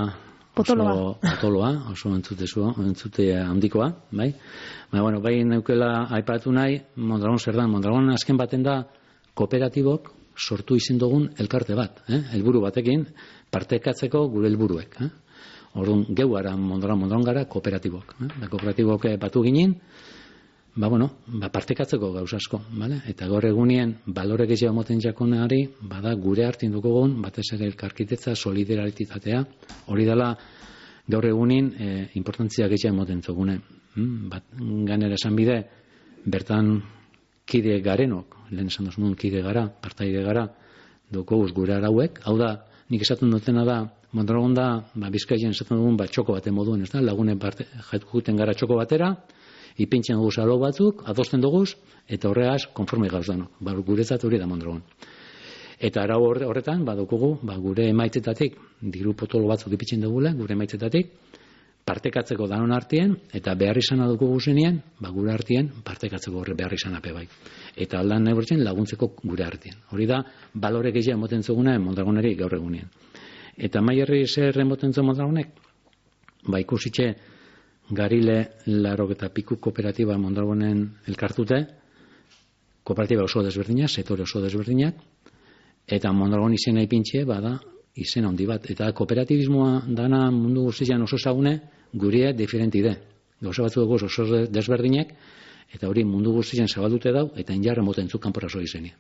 potoloa, oso potoloa, oso entzute zu, entzute handikoa, bai? Baina, bueno, bai neukela aipatu nahi, Mondragon zer da, Mondragon azken baten da kooperatibok sortu izin dugun elkarte bat, eh? Helburu batekin partekatzeko gure helburuek, eh? Orduan, geu gara Mondragon, Mondragon gara kooperatibok, eh? Da kooperatibok batu ginen, ba, bueno, ba, partekatzeko gauza asko, vale? Eta gaur egunien, balore gehiago moten jakonari, bada gure hartin dukogun, batez ere elkarkitetza, solidarititatea, hori dela gaur egunin e, importantzia gehiago moten zogune. Hmm? Bat, ganera esan bide, bertan kide garenok, lehen esan duzun kide gara, partaide gara, dukoguz gure arauek, hau da, nik esaten dutena da, Mondragon da, ba, Bizkaien esaten dugun, ba, txoko bate moduen, ez da, lagunen parte, jaitukuten gara txoko batera, ipintzen dugu alo batzuk, adosten dugu, eta horregaz, konforme gauz danok. Ba, guretzat hori da Mondragon. Eta arau horretan, badukugu, ba, gure emaitzetatik, diru potolo batzuk ipintzen dugula, gure emaitzetatik, partekatzeko danon artien, eta behar izan dukugu zenien, ba, gure artien, partekatzeko horre behar izan ape bai. Eta aldan nebortzen laguntzeko gure artien. Hori da, balore gehiago emoten zuguna Mondragoneri gaur egunien. Eta maierri zer emoten zu Mondragonek? Ba, ikusitxe, Garile laro eta piku kooperatiba Mondragonen elkartute, kooperatiba oso desberdinak, sektore oso desberdinak, eta Mondragon izena ipintxe, bada, izena handi bat. Eta kooperatibismoa dana mundu guztian oso ezagune, gurea diferenti de. Gauza batzu dugu oso desberdinak, eta hori mundu guztian zabaldute dau, eta injarra moten zu kanpora zo izenia.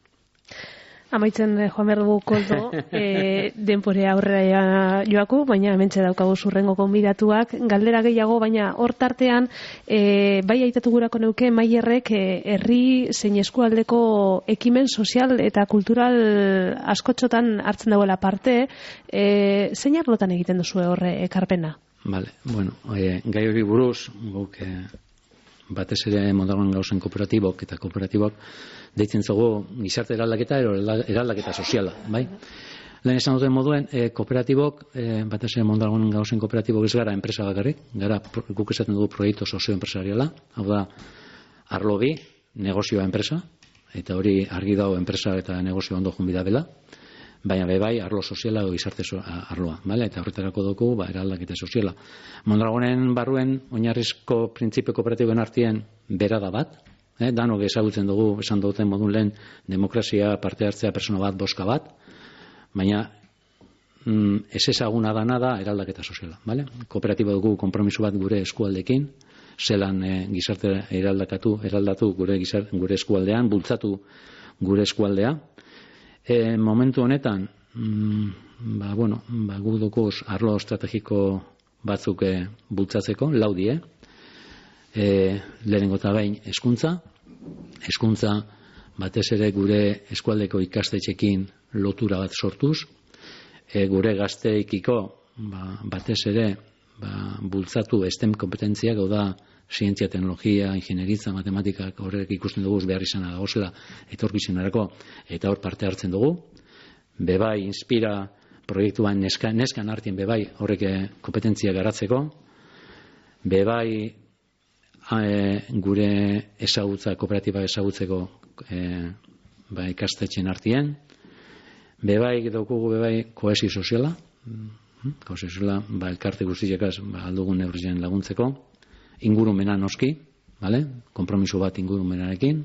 Amaitzen joan behar dugu koldo, e, denpore aurrera joaku, baina hementxe daukagu zurrengo konbidatuak. Galdera gehiago, baina hor tartean, e, bai aitatu gurako neuke Maierrek e, herri zein eskualdeko ekimen sozial eta kultural askotxotan hartzen dagoela parte, e, zein arlotan egiten duzu horre ekarpena? Vale, bueno, e, gai hori buruz, guk e, batez ere Mondragon gauzen kooperatibok eta kooperatibok deitzen zugu gizarte eraldaketa ero eraldaketa soziala, bai? Lehen esan duten moduen, e, kooperatibok, e, batez ere Mondragon gauzen kooperatibok ez gara enpresa bakarrik, gara guk esaten dugu proiektu sozioempresariala, hau da, arlo bi, negozioa enpresa, eta hori argi dago enpresa eta negozio ondo junbida bela, baina be bai arlo soziala edo gizarte arloa, bale? Eta horretarako dugu, ba, eraldaketa soziala. Mondragonen barruen oinarrizko printzipio kooperatiboen artien berada bat, eh? Danok ezagutzen dugu, esan duten modun lehen, demokrazia, parte hartzea, persona bat, boska bat, baina mm, ez ezaguna dana da eraldaketa soziala, bale? Kooperatibo dugu konpromiso bat gure eskualdekin, zelan eh, gizarte eraldakatu, eraldatu gure, gizarte, gure eskualdean, bultzatu gure eskualdea. E, momentu honetan, mm, ba, bueno, ba, gu dukuz arlo estrategiko batzuk e, bultzatzeko, laudie, e, lehenengo eta behin hezkuntza, hezkuntza batez ere gure eskualdeko ikastetxekin lotura bat sortuz, e, gure gazteikiko ba, batez ere ba, bultzatu STEM kompetentziak, hau da, zientzia, teknologia, ingenieritza, matematikak horrek ikusten dugu behar izana dagozela etorkizunerako, eta hor parte hartzen dugu. Bebai, inspira proiektuan neska, neskan hartien bebai horrek kompetentzia garatzeko. Bebai, e, gure ezagutza, kooperatiba ezagutzeko e, ba, ikastetxen hartien. Bebai, daukugu bebai kohesio soziala. Gauza zela, ba, elkarte guztiekaz ba, aldugun neurrien laguntzeko, ingurumena noski, vale? Konpromiso bat ingurumenarekin,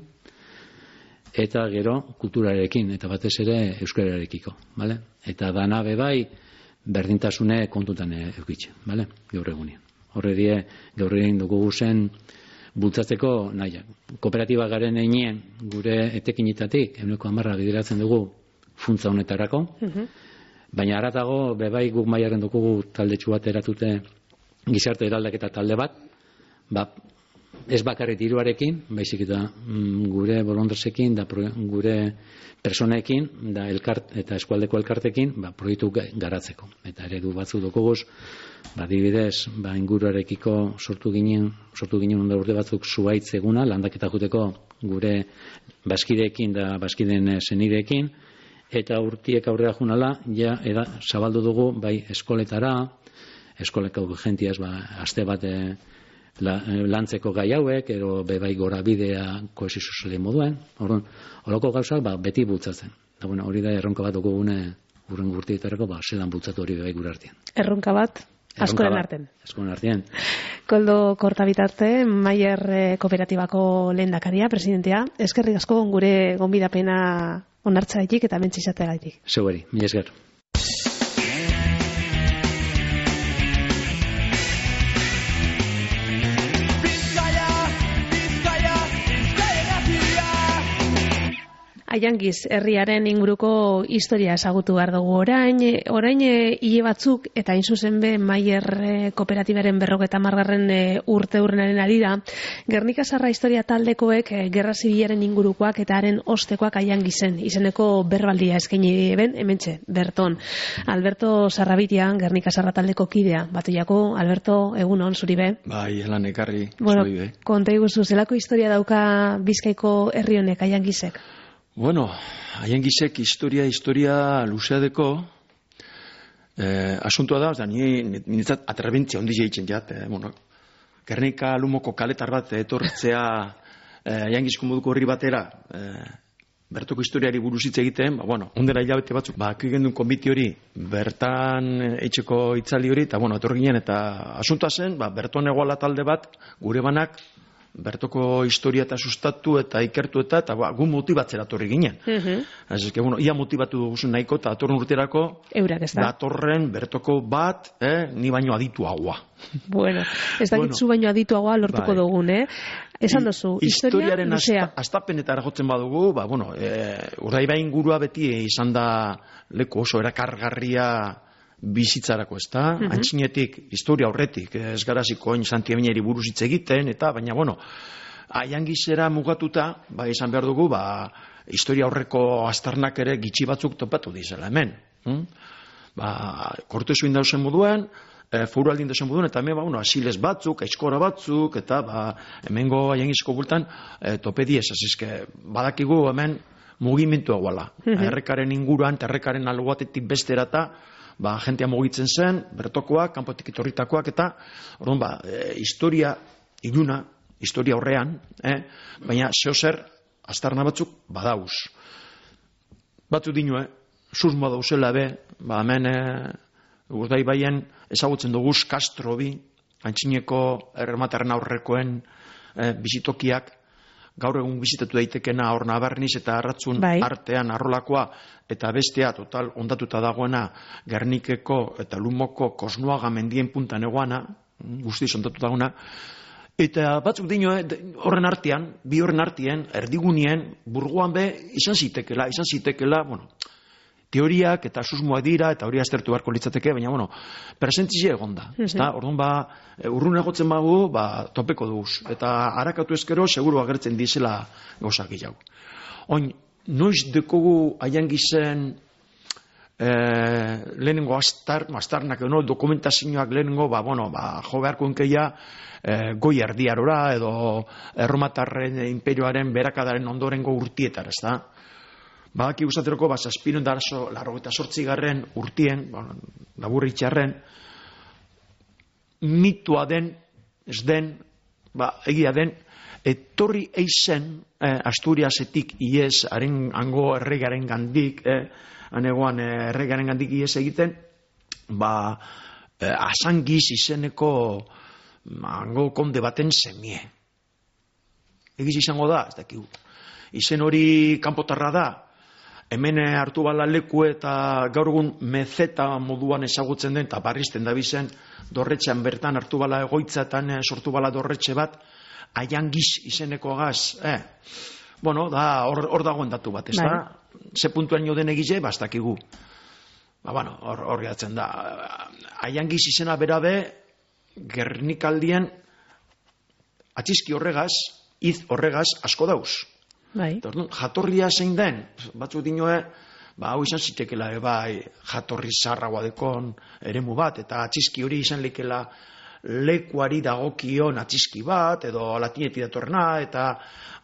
eta gero kulturarekin, eta batez ere euskararekiko, vale? Eta dana bebai berdintasune kontutan eukitxe, vale? Gaur egunean. Horre die, gaur egin dugu zen bultzatzeko nahiak. Kooperatiba garen einien gure etekinitatik, ehuneko hamarra bideratzen dugu funtza honetarako, baina haratago bebai guk mailaren dugu taldetxu bat eratute gizarte eraldaketa talde bat, ba, ez bakarrik diruarekin, baizik eta mm, gure bolondresekin, da pro, gure personekin, da elkart, eta eskualdeko elkartekin, ba, proiektu garatzeko. Eta eredu batzu dokoguz, ba, dibidez, ba, inguruarekiko sortu ginen, sortu ginen onda urte batzuk zuaitz eguna, landaketa juteko gure baskideekin da baskideen senideekin, eta urtiek aurrera junala, ja, eda, zabaldu dugu, bai, eskoletara, eskoleko gentiaz, ba, aste bat La, lantzeko gai hauek, ero bebai gora bidea kohesio sozialen moduen, orduan, horoko gauzak ba, beti bultzatzen. Da, bueno, hori da erronka bat dugune urren gurtietarako, ba, zelan bultzatu hori bebai gure artean. Erronka bat, askoren artean. Askoren artean. Koldo Kortabitarte, Maier Kooperatibako lehendakaria, presidentea, eskerrik asko gure gonbidapena onartzaetik eta mentzizateagatik. Zeueri, mila esker. Aiangiz herriaren inguruko historia ezagutu behar dugu orain, orain hile batzuk eta hain zuzen be Maier Kooperatibaren berrogeta margarren urte urrenaren arira, Gernika Sarra historia taldekoek gerra zibilaren ingurukoak eta haren ostekoak Aiangizen, izeneko berbaldia eskaini ben, hementxe, berton. Alberto Sarrabitia, Gernika Sarra taldeko kidea, batuiako, Alberto, egunon, zuri be? Bai, helan ekarri, bueno, zuri be. Konta iguzu, zelako historia dauka Bizkaiko herri honek Aiangizek? Bueno, Aiangizek historia, historia luzeadeko eh, asuntua da, da ni niretzat atrebentzia ondi jeitzen jat, eh, bueno, Gernika Lumoko kaletar bat etortzea eh, Aiangizko moduko horri batera, eh, bertoko historiari buruz hitz egiten, ba, bueno, ondera hilabete batzuk, ba, gendun konbiti hori, bertan etxeko itzali hori, eta, bueno, etorri ginen, eta asuntua zen, ba, berton egoala talde bat, gure banak, bertoko historia eta sustatu eta ikertu eta, eta ba, gu motibatzera torri ginen. Uh -huh. Ez que, bueno, ia motibatu duguzun nahiko, eta atorren urterako, eurak ez da. Datorren bertoko bat, eh, ni baino adituagoa. Bueno, ez dakit zu baino adituagoa lortuko bai. Dugun, eh? Esan dozu, historia luzea. Astapenetara jotzen badugu, ba, bueno, e, Urdaibai ingurua beti izan da leku oso erakargarria bizitzarako, ez da? Uh-huh. Antxinetik, historia horretik, ez garaziko oin Santiamineri buruz hitz egiten, eta, baina, bueno, Aiangizera mugatuta, ba, izan behar dugu, ba, historia horreko aztarnak ere gitxi batzuk topatu dizela hemen. Hm? Ba, kortezuin dauzen moduen, e, foru aldin dauzen moduen, eta hemen, ba, bueno, asiles batzuk, aiskora batzuk, eta, ba, hemengo Aiangizko bultan, e, tope diez, azizke, badakigu hemen mugimendu eguala. Uh-huh. Errekaren inguruan, errekaren algoatetik besterata, ba, jentea mugitzen zen, bertokoak, kanpotik etorritakoak, eta, orduan, ba, e, historia iluna, historia horrean, eh? Baina zeo zer, aztarna batzuk badauz. Batzuk dinue, susmoa dauzela be, ba, hemen, e, Urdaibaien ezagutzen duguz Castro bi, antxineko errematarren aurrekoen e, bizitokiak, gaur egun bizitatu daitekena hor Nabarniz eta Arratzun bai. Artean arrolakoa, eta bestea total ondatuta dagoena Gernikeko eta Lumoko Kosnoaga mendien puntan egoana, guztiz ondatuta dagoena, eta batzuk dino, horren artean, bi horren artean, erdigunien, burgoan be, izan zitekela, izan zitekela, bueno, teoriak eta susmoak dira, eta hori aztertu beharko litzateke, baina, bueno, presentzia egonda. Uh-huh. Ezta? Orduan, ba, urrun egotzen bagu, ba, topeko duguz. Eta harakatu ezkero, seguru agertzen dizela gauzak gehiago. Oin, noiz dekogu Aiangizen eh, lehenengo astar, astarnak, no, dokumentazioak lehenengo, ba, bueno, ba, jo beharko enkeia, eh, goi erdiarora, edo erromatarren imperioaren berakadaren ondorengo urtietar, ez da? Badaki gustateroko, ba, zazpiron darazo, larro eta sortzigarren urtien, bueno, laburritxarren, mitua den, ez den, ba, egia den, etorri eizen, eh, Asturiasetik iez, haren hango erregaren gandik, eh, anegoan eh, erregaren gandik iez egiten, ba, eh, Asangiz izeneko hango konde baten semie. Egiz izango da, ez dakigu. Izen hori kanpotarra da, hemen hartu bala leku eta gaur egun mezeta moduan ezagutzen den, eta barrizten da bizen, dorretxean bertan hartu bala egoitzatan sortu bala dorretxe bat, Aiangiz izeneko agaz, eh. Bueno, da, hor, hor dagoen datu bat, ez da? Ze puntuan jo den egize, bastakigu. Ba, bueno, hor, hor gehatzen da. Aiangiz izena berabe, Gernikaldien atxizki horregaz, iz horregaz asko dauz. Bai. Jatorria zein den, batzuk dinoe, ba, hau izan zitekela, e, bai, jatorri zarragoa dekon eremu bat, eta atxizki hori izan lekela lekuari dagokion atxizki bat, edo latinetik datorrena, eta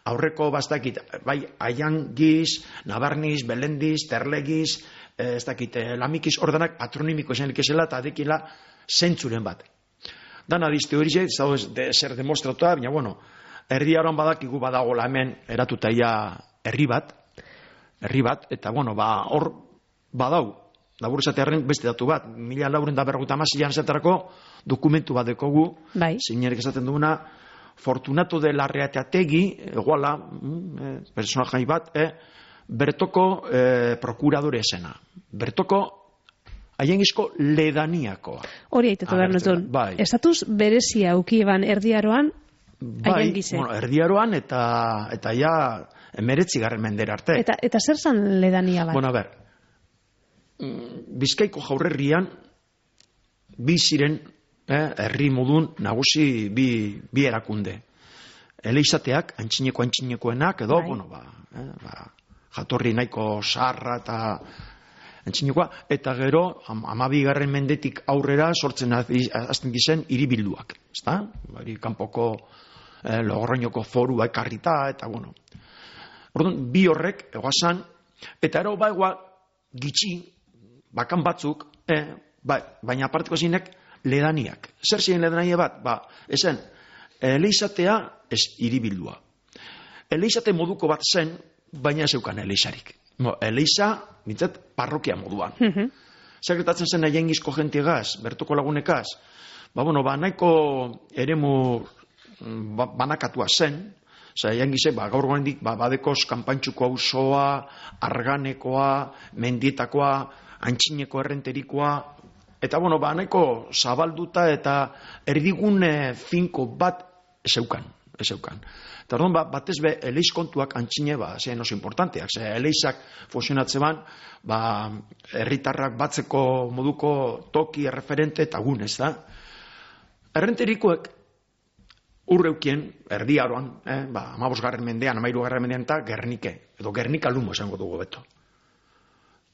aurreko bastakit, bai, Aiangiz, Nabarniz, Belendiz, Terlegiz, ez dakit, Lamikiz, ordenak patronimiko izan lekezela, eta adekila zentzuren bat. Dana dizte hori ze, ez dago de, zer demostratuta, baina, bueno, erdi aroan badakigu badagola hemen eratutaia herri bat, herri bat, eta, bueno, ba, hor badau, labur esatearen beste datu bat, mila lauren da berrogeita hamaseian esaterako dokumentu bat dekogu, bai. Zeinerek esaten duguna, Fortunato de Larreateategi, eguala, eh, personajai bat, eh, bertoko eh, prokuradore esena. Bertoko Aiangizko ledaniakoa. Hori aitetu behar nuzun. Bai. Estatuz berezia aukieban erdiaroan bai, Aiangize. Bueno, erdiaroan eta eta ja emeretzi garren mendera arte. Eta, eta zer zan ledania bat? Bueno, a ber, Bizkaiko jaurerrian bi ziren eh, herri modun nagusi bi, bi erakunde. Eleizateak, antxineko antxinekoenak, edo, bai. bueno, ba, eh, ba, jatorri nahiko sarra eta antxinekoa, eta gero, hamabigarren mendetik aurrera sortzen azten gizen hiribilduak, ezta? Bari, kanpoko eh, Logroñoko forua ekarrita, eta, bueno. Orduan, bi horrek, egoazan, eta ero, ba, egoa, gitxi, bakan batzuk, eh, ba, baina aparteko zinek, ledaniak. Zer ziren ledania bat? Ba, ezen, eleizatea ez hiribildua. Eleizate moduko bat zen, baina ez eukan eleizarik. No, eleiza, nintzat, parrokia moduan. Uh -huh. Sekretatzen zen Aiangizko jentiegaz, bertoko lagunekaz, ba, bueno, ba, nahiko eremu ba, banakatua zen, Osa, Aiangizek, ba, gaur gorendik, ba, badekoz, kanpantxuko auzoa, arganekoa, mendietakoa, antxineko errenterikoa, eta, bueno, ba, nahiko zabalduta eta erdigune finko bat ezeukan, ezeukan. Eta, orduan, ba, batez be, eleiz kontuak antxine, ba, zein oso importanteak, ze eleizak funtzionatze ban, ba, herritarrak batzeko moduko toki, erreferente eta gunez, da. Errenterikoek, urreukien, erdiaroan, eh, ba, amabosgarren mendean, amairugarren mendean, eta Gernike, edo Gernika lumo esango dugu beto.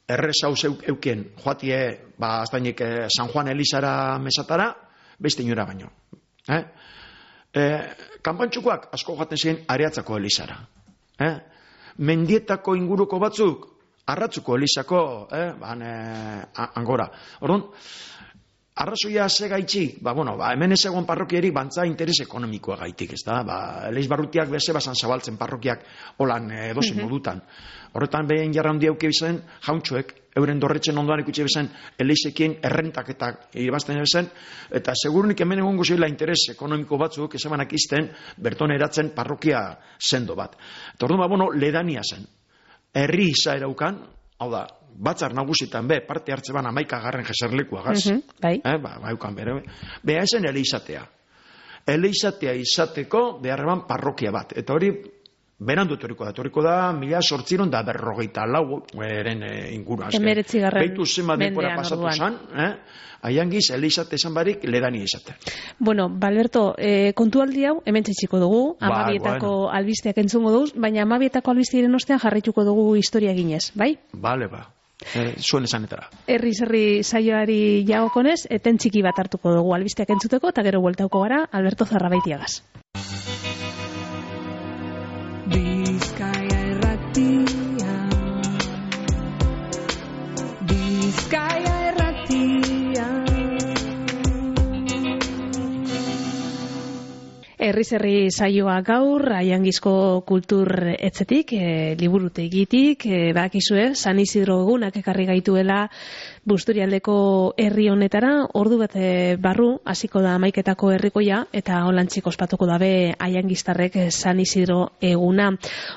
Errez hau eukien, joatie, ba, aztainik eh, San Juan Elizara mesatara, beste inora baino. Eh? Eh, kanpantxukoak asko joaten ziren Areatzako Elizara. Eh? Mendietako inguruko batzuk, Arratzuko Elizako, eh, ban, eh, angora. Orduan, arrazoia ze gaitxik, ba, bueno, ba, hemen ez egon parrokierik bantza interes ekonomikoa gaitik, ez da? Ba, Eleiz barrutiak beze basan zabaltzen parrokiak holan edozen mm-hmm. modutan. Horretan behin jarra handi auke bizan, jauntxoek, euren dorretzen ondoan ikutxe bizan, Eleizekin errentaketak irabazten bizan, eta segurunik hemen egon guzila interes ekonomiko batzuk, ezabanak izten, berton eratzen parrokia sendo bat. Eta orduan, ba, bueno, ledania zen. Herri izaera ukan, hau da, batzar nagusitan be, parte hartze ban amaika garren jeserlekua gaz. Uh-huh, bai. Eh, ba, baukan bere. Beha esen eleizatea. Eleizatea izateko beharreban parrokia bat. Eta hori, berandu etoriko da. Etoriko da, mila sortziron da berrogeita lau eren e, inguru. Emeretzi garren Beitu zema denpora pasatu zan, eh? Aiangiz, eleizate esan barik, ledani izate. Bueno, Balberto, eh, kontualdi hau, hemen txitsiko dugu, ba, amabietako bueno. albisteak entzungo duz, baina amabietako albisteiren ostean jarraituko dugu historia ginez, bai? Bale, ba. Eh, zuen esanetara. Herri zerri saioari jagokonez, eten txiki bat hartuko dugu albisteak entzuteko, eta gero bueltauko gara, Alberto Zarrabaitiagaz. Bizkaia erratia, Bizkaia erratia. Herriz herri saioa gaur, Aiangizko kultur etzetik, e, liburutegitik, e, bakizue, San Isidro egunak ekarri gaituela Busturialdeko herri honetara, ordu bat barru, hasiko da Amaiketako herrikoia, eta holantzik ospatuko dabe Aiangiztarrek San Isidro eguna.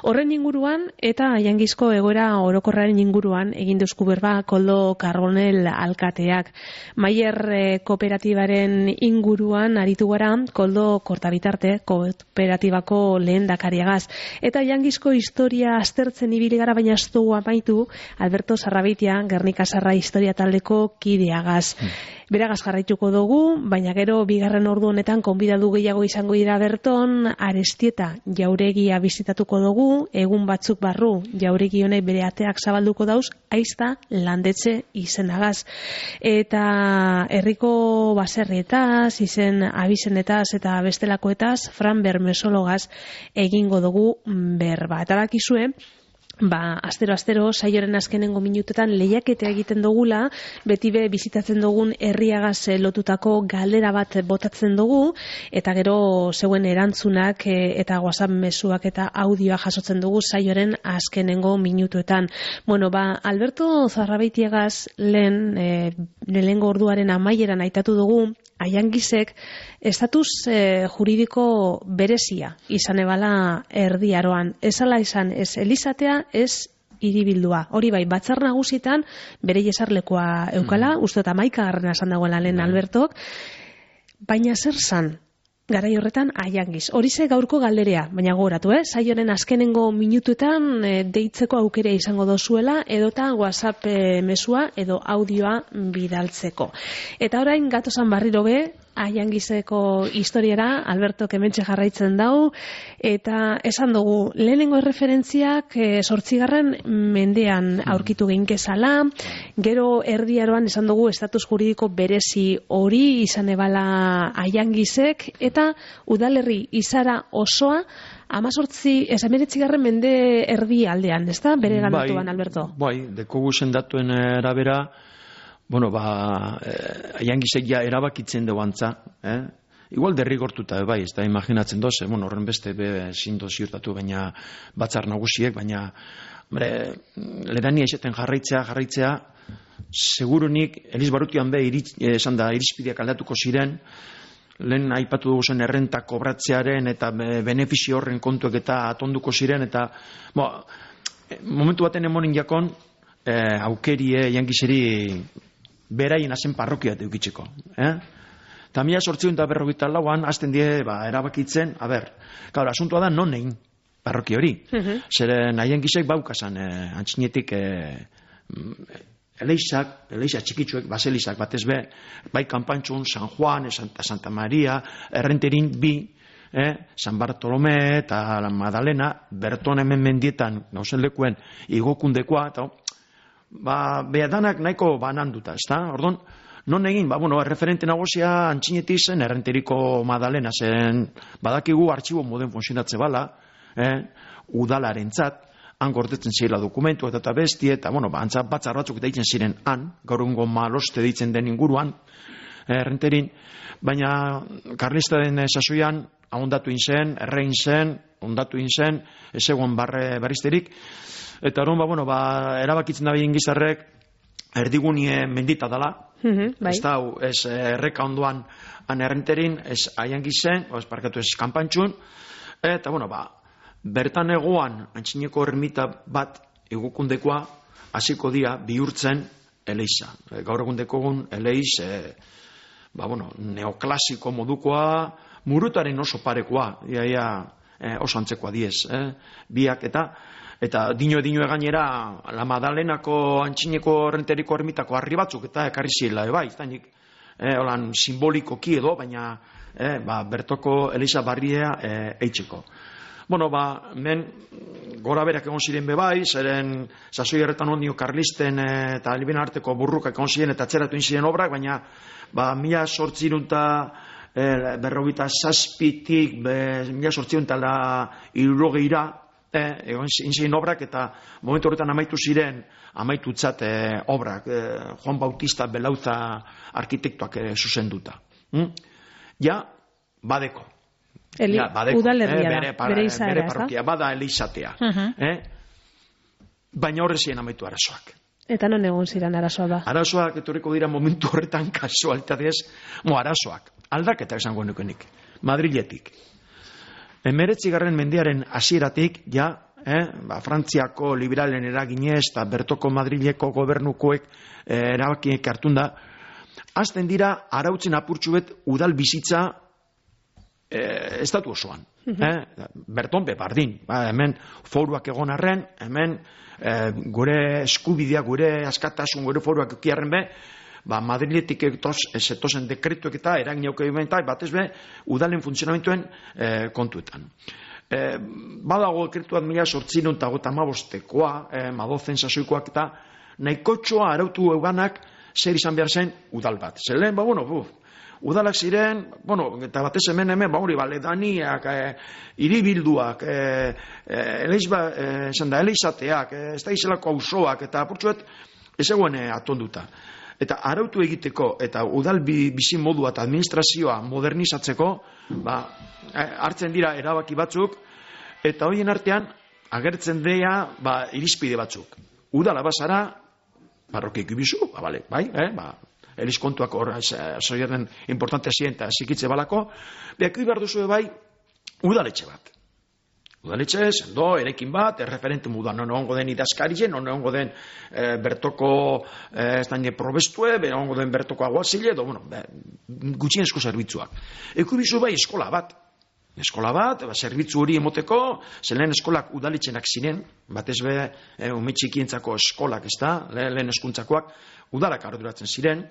Horren inguruan, eta Aiangizko egoera orokorraren inguruan, egin duzku berba Koldo Carbonell alkateak. Maier e, kooperatibaren inguruan aritu gara, Koldo Kortabitarte, kooperatibako lehendakariagaz. Eta Aiangizko historia aztertzen ibili gara, baina ez dugu amaitu, Alberto Sarrabitia, Gernika Sarra historia taldeko kideagaz. Hmm. Beragaz jarraituko dugu, baina gero bigarren ordu honetan konbidatu gehiago izango dira berton, Arestieta jauregia bizitatuko dugu, egun batzuk barru jauregi honek bere ateak zabalduko dauz, aizta landetxe izenagaz. Eta herriko baserrietaz, izen abizenetaz eta bestelakoetaz, Fran Bermesologaz egingo dugu berba. Eta bakizue, Ba, astero-astero, saioren azkenengo minutetan lehiaketa egiten dugula, beti be bizitatzen dugun herriagaz lotutako galdera bat botatzen dugu, eta gero zeuen erantzunak eta WhatsApp mezuak eta audioa jasotzen dugu saioren azkenengo minutuetan. Bueno, ba, Alberto Zarrabeitiagaz lehen, e, lehengo orduaren amaieran aitatu dugu, Aiangizek estatus e, juridiko berezia izan ebala erdiaroan. Ezala izan, ez elizatea, ez hiribildua. Hori bai, batzar nagusitan bere jesarlekoa eukala, mm. uste eta maika garrena esan dagoela lehen Albertok, baina zer zan? Garai horretan Aiangiz. Horize gaurko galderea, baina gogoratu, eh? Saioren azkenengo minutuetan e, deitzeko aukera izango dozuela, edota WhatsApp e, mesua edo audioa bidaltzeko. Eta orain gatozan barriro be, Aiangizeko historiara, Alberto kementxe jarraitzen dau, eta esan dugu, lehenengo referentziak e, sortzigarren mendean aurkitu geinkezala, gero erdiaroan esan dugu estatus juridiko berezi hori izan ebala Aiangizek, eta udalerri izara osoa amazortzi, ez emeretzigarren mende erdi aldean, ez da? Bere ganatuan, Alberto? Bai, dekogu zendatuen arabera, bueno, ba, eh, Aiangizek ja erabakitzen dugu antza, eh? Igual derrigortuta, bai, ez da, imaginatzen doz, eh? Bueno, horren beste be zindo ziurtatu, baina batzar nagusiek, baina, hombre, ledania izaten jarraitzea, jarraitzea, segurunik, Eliz Barrutian be, iritz, eh, esan da, irizpideak aldatuko ziren, lehen aipatu dugu zen errenta kobratzearen eta benefizio horren kontuek eta atonduko ziren, eta, bo, momentu baten emonin jakon, eh, aukerie, Aiangizeri, beraien azen parrokia deukitzeko. Eh? Eta mila sortziun da berrogeita lauan, azten die, ba, erabakitzen, a ber, gaur, asuntua da non egin parroki hori. Uh-huh. Zeren Aiangizek baukazan, eh, antxinetik, eh, eleizak, eleiza txikitzuek, baselizak batez be, bai Kanpantxun, San Juan, Santa, Santa Maria, Errenterin bi, eh, San Bartolome eta la Madalena, berton hemen mendietan, gauzen lekuen, igokundekoa, eta ba, behadanak nahiko bananduta, ez da? Ordon, non egin, ba, bueno, referente nagosia antxinetik zen, Errenteriko Madalena zen, badakigu artxibo moden funtzionatze bala, eh, udalaren tzat, han gordetzen zirela dokumentu eta eta bestie, eta, bueno, ba, antzat batzar batzuk deitzen ziren han, gaur egungo maloste deitzen den inguruan, eh, Errenterin, baina karlistaren sasoian, ahondatu inzen, errein zen, ondatu inzen, ez egon barre berrizterik, eta hori, ba, bueno, ba, erabakitzen da behin gizarrek, erdigunie mendita dela, mm-hmm, bai. Ez da, ez erreka ondoan han Errenterin, ez Aiangizen, ez parkatu ez Kanpantxun, eta, bueno, ba, bertan egoan, antxineko ermita bat egukundekoa, hasiko dira bihurtzen eleiza. Gaur egundeko egun eleiz, e, ba, bueno, neoklasiko modukoa, murutaren oso parekoa, ia, ia, e, oso antzekoa diez, eh? Biak eta, eta dino dino egainera, la Madalenako antxineko Errenteriko ermitako harri batzuk, eta ekarri zirela, e, bai, zainik, e, holan simbolikoki edo, baina, e, ba, bertoko eleiza barria e, eitzeko. Bueno, ba, men gora berak egon ziren bebai, zeren sasoi erretan ondio karlisten eta alibena arteko burrukak egon ziren eta atzeratu ziren obrak, baina ba, mila sortzirunta e, berrogita zazpitik, mila sortzirunta irurogeira e, egon ziren obrak eta momentu horretan amaitu ziren, amaitu tzat e, obrak, e, Juan Bautista Belauza arkitektuak e, zuzenduta. Hm? Ja, badeko. Eli, ja, badeko, udalerria eh, da, bere, para, bere izaera, bere ez da? parrokia, bada elizatea. Uh -huh. eh? Baina horrezien amaitu arazoak. Eta non egon ziren arazoa ba? Arazoak etorriko dira momentu horretan kasualitatez, mo arazoak, aldaketa esango nukenik, Madriletik. Emeretzigarren mendearen hasieratik ja, eh, ba, Frantziako liberalen eraginez eta Bertoko Madrileko gobernukoek eh, erabakiek hartun da, azten dira arautzen apurtxuet udal bizitza eh, estatu osoan. Uh-huh. eh? Berton bebardin, ba, hemen foruak egon arren, hemen eh, gure eskubidea, gure askatasun, gure foruak ekiarren be, ba, Madriletik zetozen dekretuek eta eragin auke eta batez be, udalen funtzionamentuen eh, kontuetan. Eh, badago dekretuat mila sortzirun eta gota amabostekoa, eh, madozen sasoikoak eta nahikotxoa arautu euganak zer izan behar zen udal bat. Zer lehen, ba, bueno, buf, udalak ziren, bueno, eta batez hemen hemen, ba, hori, ba, ledaniak, e, iribilduak, e, e, eleiz ba, e, esan da, eleizateak, e, ez da izelako auzoak, eta apurtzuet, ez eguen e, atonduta. Eta arautu egiteko, eta udal bizi modua eta administrazioa modernizatzeko, ba, hartzen dira erabaki batzuk, eta horien artean, agertzen dira, ba, irizpide batzuk. Udala bazara, parrokiek ibizu, ba, bale, bai, eh, ba, eliz kontuak hor, zoiaren importantea ziren eta zikitze balako, behak behar duzu bai, udaletxe bat. Udaletxe, sendo, erekin bat, erreferente mudan, non ongo den idazkarien, non ongo den e, bertoko, e, ez daine probestue, ben ongo den bertoko aguazile, edo, bueno, gutxienezko zerbitzuak. Eko ibizu bai, eskola bat. Eskola bat, ba, zerbitzu hori emoteko, zelen eskolak udaletxenak ziren, batez be, e, umetxikientzako eskolak, ez da, le, lehen eskuntzakoak, udalak arduratzen ziren,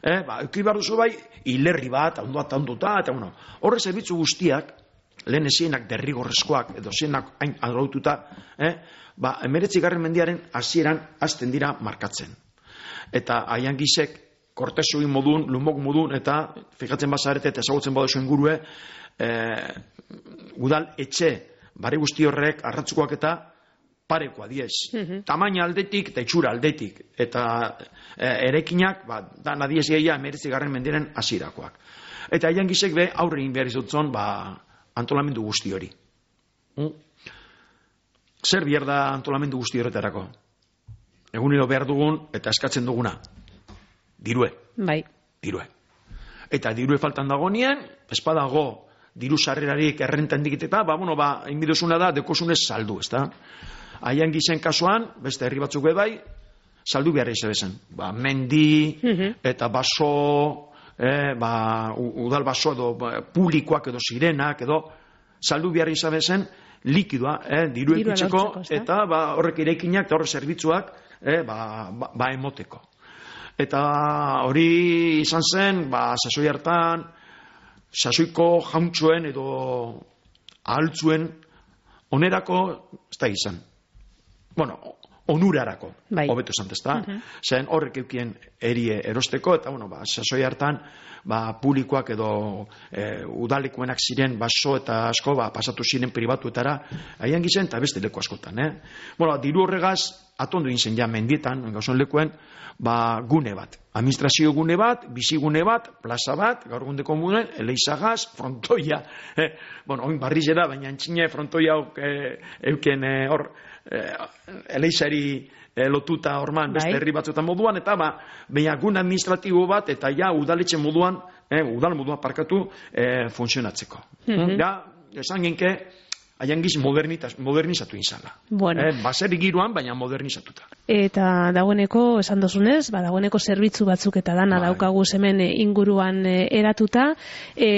eh, ba, eki behar duzu bai, hilerri bat, ondo eta onduta, eta bueno, horre zerbitzu guztiak, lehen ezienak derrigorrezkoak, edo zienak hain araututa, eh, ba, emeretzigarren mendiaren hasieran hasten dira markatzen. Eta haian gizek, kortesuin modun, lumok modun, eta fijatzen bazarete, eta ezagutzen badozu ingurue, eh, udal etxe, bare guzti horrek, arratzukoak eta parekoa diez. Uh-huh. Tamaina aldetik eta itxura aldetik. Eta e, erekinak, ba, da nadiez gehiago emeretzigarren mendiren hasierakoak. Eta haian gizek be, aurre egin behar izutzen, ba, antolamendu guzti hori. Mm? Zer behar da antolamendu guzti horretarako? Egunero behar dugun eta eskatzen duguna. Dirue. Bai. Dirue. Eta dirue faltan dagoenien, espadago diru sarrerarik errenten dikiteta, ba, bueno, ba, inbidozuna da, dekosunez saldu, ez da? Haian gizen kasuan, beste herri batzuk bai, saldu behar izabezen. Ba, mendi, uh-huh. eta baso, eh, ba, udal baso edo ba, publikoak edo sirenak edo saldu behar izabezen likidoa, eh, diru ekitzeko, eta ba, horrek irekinak eta horrek zerbitzuak eh, ba, ba, ba emoteko. Eta hori izan zen, ba, sasoi hartan, sasoiko jauntxoen edo ahaltzuen onerako, ez da izan. Bueno, onurarako, bai. Hobeto esan testa. Uh-huh. Zen horrek eukien erie erosteko, eta bueno, ba, sasoi hartan, ba, publikoak edo e, udalekuenak ziren baso eta asko, ba, pasatu ziren pribatuetara, haian gizen, eta beste leku askotan, eh? Bueno, diru horregaz, atondu zen ja mendietan, gauzon lekuen, ba, gune bat. Administrazio gune bat, bizigune bat, plaza bat, gaur gundeko muden, eleizagaz, frontoia. Eh, bueno, oin barriz da, baina antxine frontoia eh, euken eh, hor, eh, eleizari eh, lotuta horman beste herri batzuetan moduan, eta ba, baina gune administratibo bat, eta ja udaletxe moduan, eh, udal moduan parkatu eh, funtzionatzeko. Mm-hmm. Ja, esan genke, haian giz modernizatu izala. Bueno. Eh, baseri giroan, baina modernizatuta. Eta dagoeneko, esan dozunez, ba, dagoeneko zerbitzu batzuk eta dana bai. Daukagu hemen inguruan e, eratuta. E,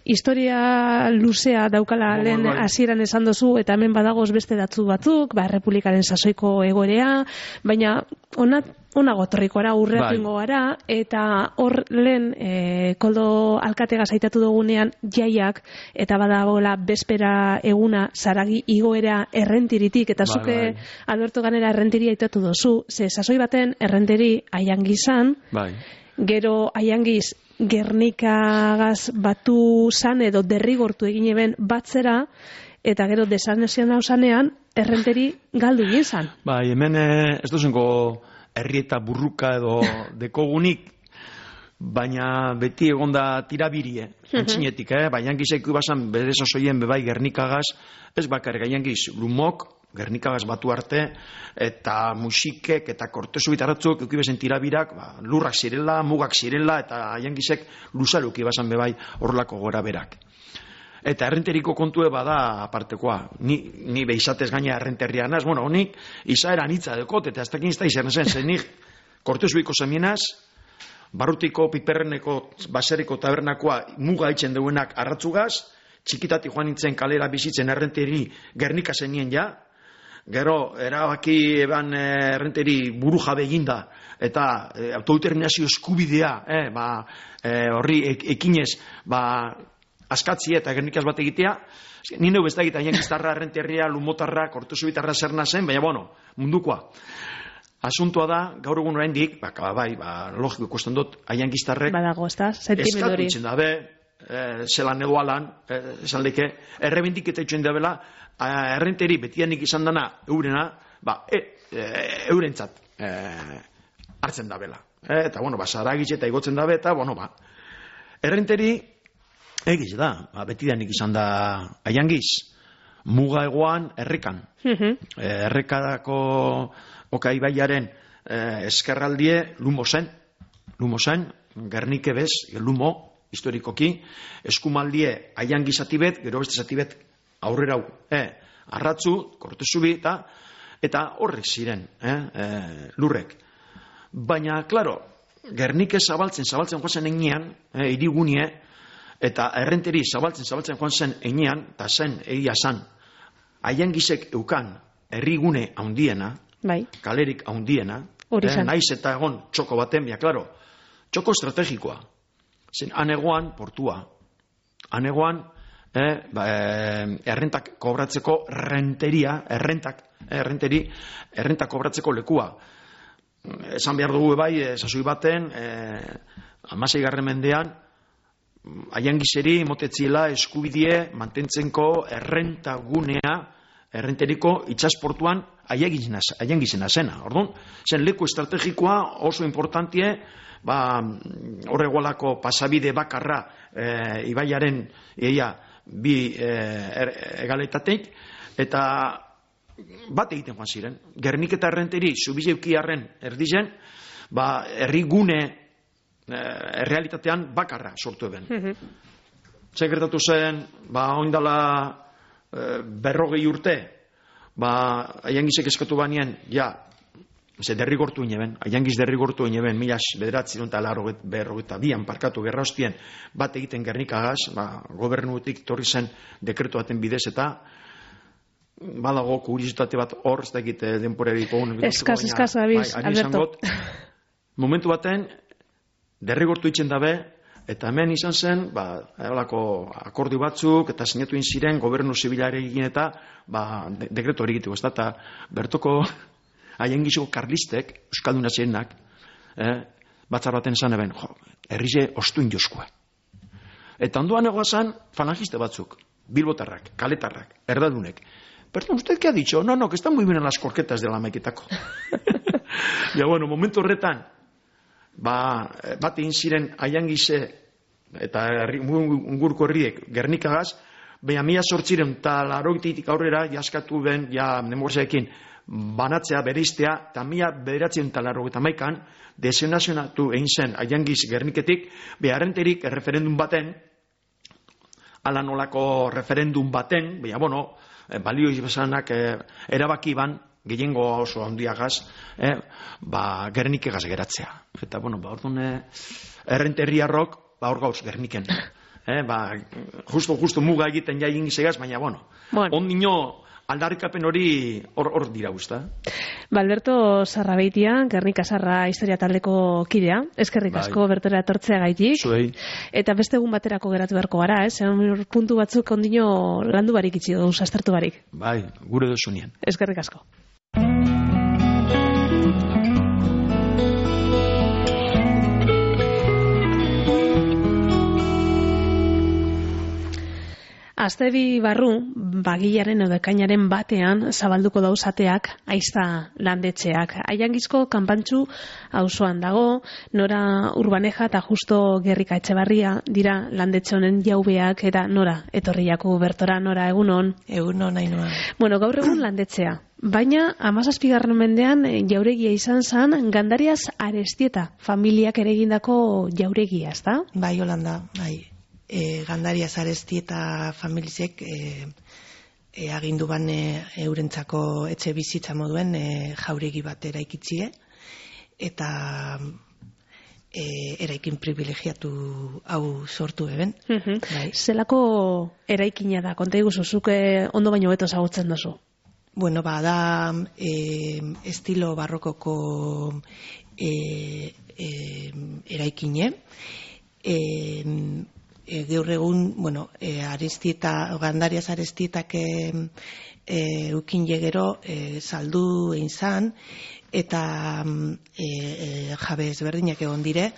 historia luzea daukala no, lehen bai. Hasieran esan dozu, eta hemen badagoz beste datzu batzuk, ba, Republikaren sasoiko egorea, baina onat, onago torrikoara, urreatu ingo gara, eta hor lehen e, koldo alkatega zaitatu dugunean jaiak, eta badagoela bespera eguna zaragi igoera errentiritik, eta zuke bai, bai. Alberto Ganera errentiri aitatu dozu, ze sasoi baten errenteri aiangizan, bai. Gero aiangiz Gernikagaz batu zan edo derrigortu egin eben batzera, eta gero desanezian hau zanean, errenteri galdu egin zan. Bai, hemen ez duzenko herri eta burruka edo dekogunik, baina beti egonda tirabirie, antxinetik, eh? Ba, Iangizek basan bere sosoien bebai Gernikagaz, ez bakar Iangiz, lumok, Gernikagaz batu arte, eta musikek eta kortezu bitaratzuk eukibezen tirabirak, ba, lurrak zirela, mugak zirela, eta Iangizek luzaluki basan bebai horrelako gora berak. Eta errenteriko kontue bada apartekoa. Ni, ni behizatez gaina errenterria naz, bueno, honik izaera nitza dekot, eta ez dakin izta izan zen, zen nik kortezuiko zemienaz, barrutiko piperreneko baseriko tabernakoa muga itzen duenak arratzugaz, txikitati joan nintzen kalera bizitzen errenteri Gernika zenien ja, gero erabaki eban errenteri buru jabe eginda, eta e, autodeterminazio eskubidea, eh, ba, e, horri ek, ekinez, ba, askatzi eta Gernikaz bat egitea, ni neu ez da egita, Iangiztarra, errenterria, lumotarra, kortezubitarra zerna zen, baina bueno, mundukoa. Asuntoa da, gaur egun oraindik, ba, bai, ba, logiko ikusten dut, Iangiztarrek badago, ez da, sentimendu hori. Eskatu itzen dabe, e, zelan edo alan, e, esan leke, errebendik eta itxuen dabela, errenteri betianik izan dana eurena, ba, e, e, eurentzat e, hartzen dabela. E, eta, bueno, ba, zaragitxe eta igotzen dabe, eta, bueno, ba, errenteri egiz da, ba, betianik izan da Iangiz, muga egoan errekan. Uh-huh. E, errekadako Oka ibaiaren eh, eskerraldie lumo zen, lumo zen, Gernike bez, lumo, historikoki, eskumaldie Iangiz atibet, gero beste atibet aurrera hau, eh, arratzu, kortezubi, eta, eta horrek ziren, eh, eh, lurrek. Baina, klaro, Gernike zabaltzen, zabaltzen joan zen enean, eh, irigunie, eta errenteri zabaltzen, zabaltzen joan zen enean, eta zen, egia zan, Iangizek eukan herrigune handiena, bai, kalerik handiena, eh, naiz eta egon txoko baten, ja, klaro, txoko estrategikoa. Zen, anegoan portua, anegoan eh, ba, eh, errentak kobratzeko renteria, errentak, eh, errenteri, errentak kobratzeko lekua. Esan behar dugu bai, eh, sasoi baten, eh, amasei garren mendean, Iangizeri motetziela eskubidie mantentzenko errentagunea, errenteriko itxasportuan Iangizena zena. Orduan, zen leku estrategikoa oso importantie, ba, horregualako pasabide bakarra e, ibaiaren eia bi e, er, egaletateik, eta bat egiten joan ziren. Gernik eta errenteri zubizeukiarren erdizen, ba, errigune e, errealitatean bakarra sortu eben. Uh-huh. Segertatu zen, ba, oindala berrogei urte, ba, Iangizek eskatu banean, ja, ze derrigortu ineben, Iangiz derrigortu ineben, milas bederatzi eta berrogeta bian parkatu gerra hostien, bat egiten Gernikagaz, ba, gobernuetik torri zen dekretu baten bidez, eta badago kuriositate bat hor, ez da egite denporerik ogun. Eskaz, eskaz, abiz, Alberto. Momentu baten, derrigortu itzen dabe, eta hemen izan zen, ba, eolako akordio batzuk, eta sinatu ziren gobernu zibilarekin eta ba, de dekretu hori egiteko, ez da, eta bertoko Iangizeko karlistek, euskalduna zirenak, eh, batzar baten esan eben, jo, herrize ostuin joskua. Eta ondoan egoazan falangiste batzuk, bilbotarrak, kaletarrak, erdadunek. Perdón, ¿usted qué ha dicho? No, no, que están muy bien las corquetas de la maiketako. Ja, bueno, momentu horretan, ba, bat egin ziren Iangize eta ungurko herriek Gernikagaz, baina mila sortziren eta larogetik aurrera jaskatu ben, ja, nemorzeekin, banatzea, bereiztea, eta mila bederatzen eta larrogeta maikan, desenazionatu egin zen Iangiz Gerniketik, beharrenterik referendum baten, ala nolako referendum baten, baina, bueno, balio izbezanak eh, erabaki ban, gehiengo oso handiagaz, eh, ba, Gernikegaz geratzea. Eta, bueno, ba, orduan, eh, errenterriarrok, ba, hor gauz, Gerniken. Eh, ba, justo, justo muga egiten ja ingizegaz, baina, bueno, bueno. ondino aldarrikapen hori hor, hor dira guzta. Ba, Alberto Sarrabeitia, Gernika Sarra historia taldeko kidea, eskerrik asko bai. Bertera etortzea gaitik. Zuei. Eta beste egun baterako geratu beharko gara, eh? Zer puntu batzuk ondino landu barik itxi duz, aztertu barik. Bai, gure duzunien. Eskerrik asko. Aste bi barru, bagilaren edo ekainaren batean zabalduko dauzateak aizta landetxeak. Aiangizko kanpantxu auzoan dago, Nora Urbaneja eta Justo Gerrika Etxebarria dira landetxe honen jaubeak, eta Nora etorriako bertora. Nora, egunon? Egunon, Ainhoa. Bueno, gaur egun landetxea. Baina, hamazazpigarren mendean jauregia izan zen Gandarias Arestieta familiak ere egindako jauregia, ezta? Bai, Holanda, bai. E, Gandarias Arestieta familizek e, e, agindu ban e, eurentzako etxe bizitza moduen e, jauregi bat eraikitzie, eta e, eraikin privilegiatu hau sortu eben. Uh-huh. Bai. Zelako eraikina da, konta iguzu, zuke ondo baino beto zagutzen duzu? Bueno, ba, da e, estilo barrokoko e, e, eraikine. E, e, gaur egun, bueno, e, Arestieta, Gandarias Arestietak e, e, ukin jegero e, saldu egin zan, eta e, e, jabe ezberdinak egon dire,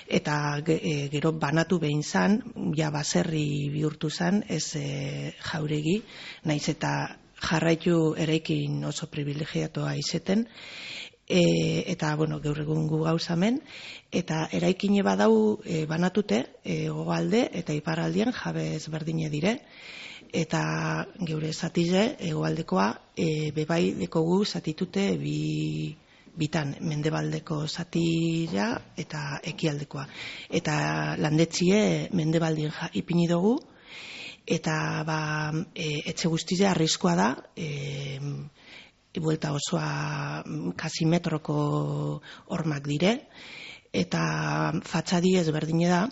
eta e, gero banatu behin zan, ja baserri bihurtu zan, ez e, jauregi, naiz eta jarraitu eraikin oso privilegiatua izeten, e, eta, bueno, gaur egun gu gauzamen, eta eraikine badau e, banatute, e, goalde eta iparraldian jabe ezberdine dire, eta geure zatize, egoaldekoa, e, bebai dekogu zatitute bi bitan, mendebaldeko zatila eta ekialdekoa. Eta landetzie mendebaldien ja, ipini dugu, eta ba, e, etxe guztize arriskoa da, e, buelta osoa kasi metroko hormak dire, eta fatxadi ezberdine da.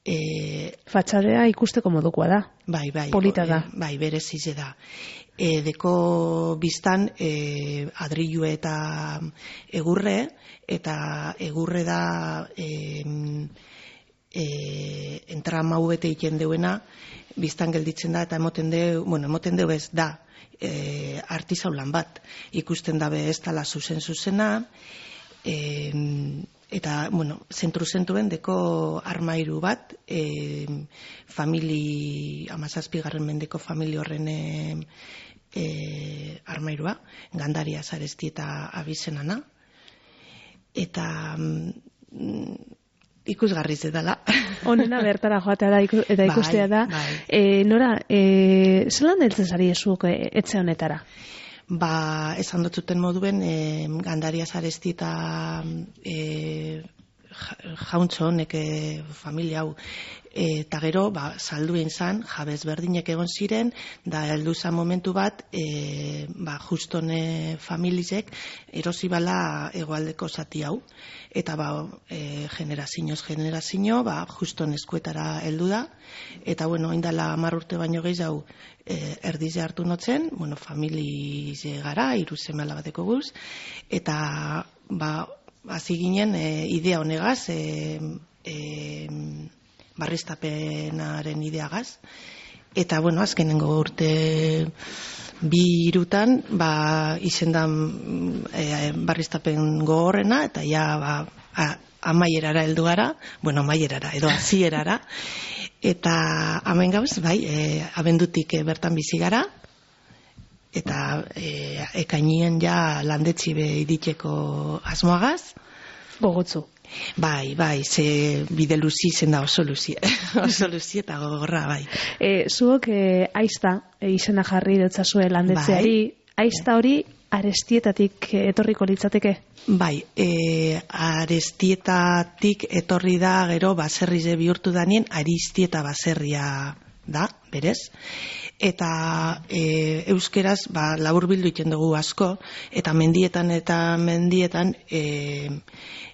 E, Fatxadea ikusteko modukoa da. Bai, bai. Polita da. E, bai, berezize da. E, deko biztan e, adrilue eta egurre, eta egurre da e, e, entramau bete iten deuena, biztan gelditzen da, eta emoten deu, bueno, emoten deu ez da, e, artizaulan bat. Ikusten dabe ez dala zuzen zuzena, e, eta, bueno, zentru-zentruen deko armairu bat, e, famili, amazazpigarren mendeko famili horren e, e, armairua, Gandarias Arestieta abizenana, eta mm, ikusgarriz edala. Honena bertara joatea da iku, eta ikustea da. Bai, bai. E, Nora, e, zelan heltzen zari ezuk e, etxe honetara? Ba, esan dutzuten moduen, e, Gandarias Arestieta e, jauntxo honek e, familia hau, eta gero, ba, saldu egin zan, jabez berdinek egon ziren, da heldu zan momentu bat, e, ba, justone familizek erosi bala hegoaldeko zati hau, eta ba, e, generazioz generazio, ba, juston eskuetara heldu da, eta bueno, indala hamar urte baino gehiago e, erdize hartu notzen, bueno, familize gara, hiru seme alabadeko guz, eta ba, hasi ginen e, idea honegaz, e, e, barriztapenaren ideagaz, eta bueno, azkenengo urte bi irutan, ba, izendan e, barriztapen gogorrena, eta ja, ba, a, amaierara heldu gara, bueno, amaierara, edo hasierara, eta hemen gauz, bai, e, abendutik e, bertan bizi gara, eta e, ekainien ja landetxi be iditeko asmoagaz. Gogotzu. Bai, bai, ze bide luzi zen da oso luzi, oso luzi eta gogorra, bai. E, zuok e, aizta e, izena jarri dutzazue landetzeari, bai. Aizta hori Arestietatik etorriko litzateke? Bai, e, Arestietatik etorri da gero baserrize bihurtu danien Aristieta baserria da, berez. Eta e, euskeraz ba, laburbildu iten dugu asko, eta mendietan eta mendietan e,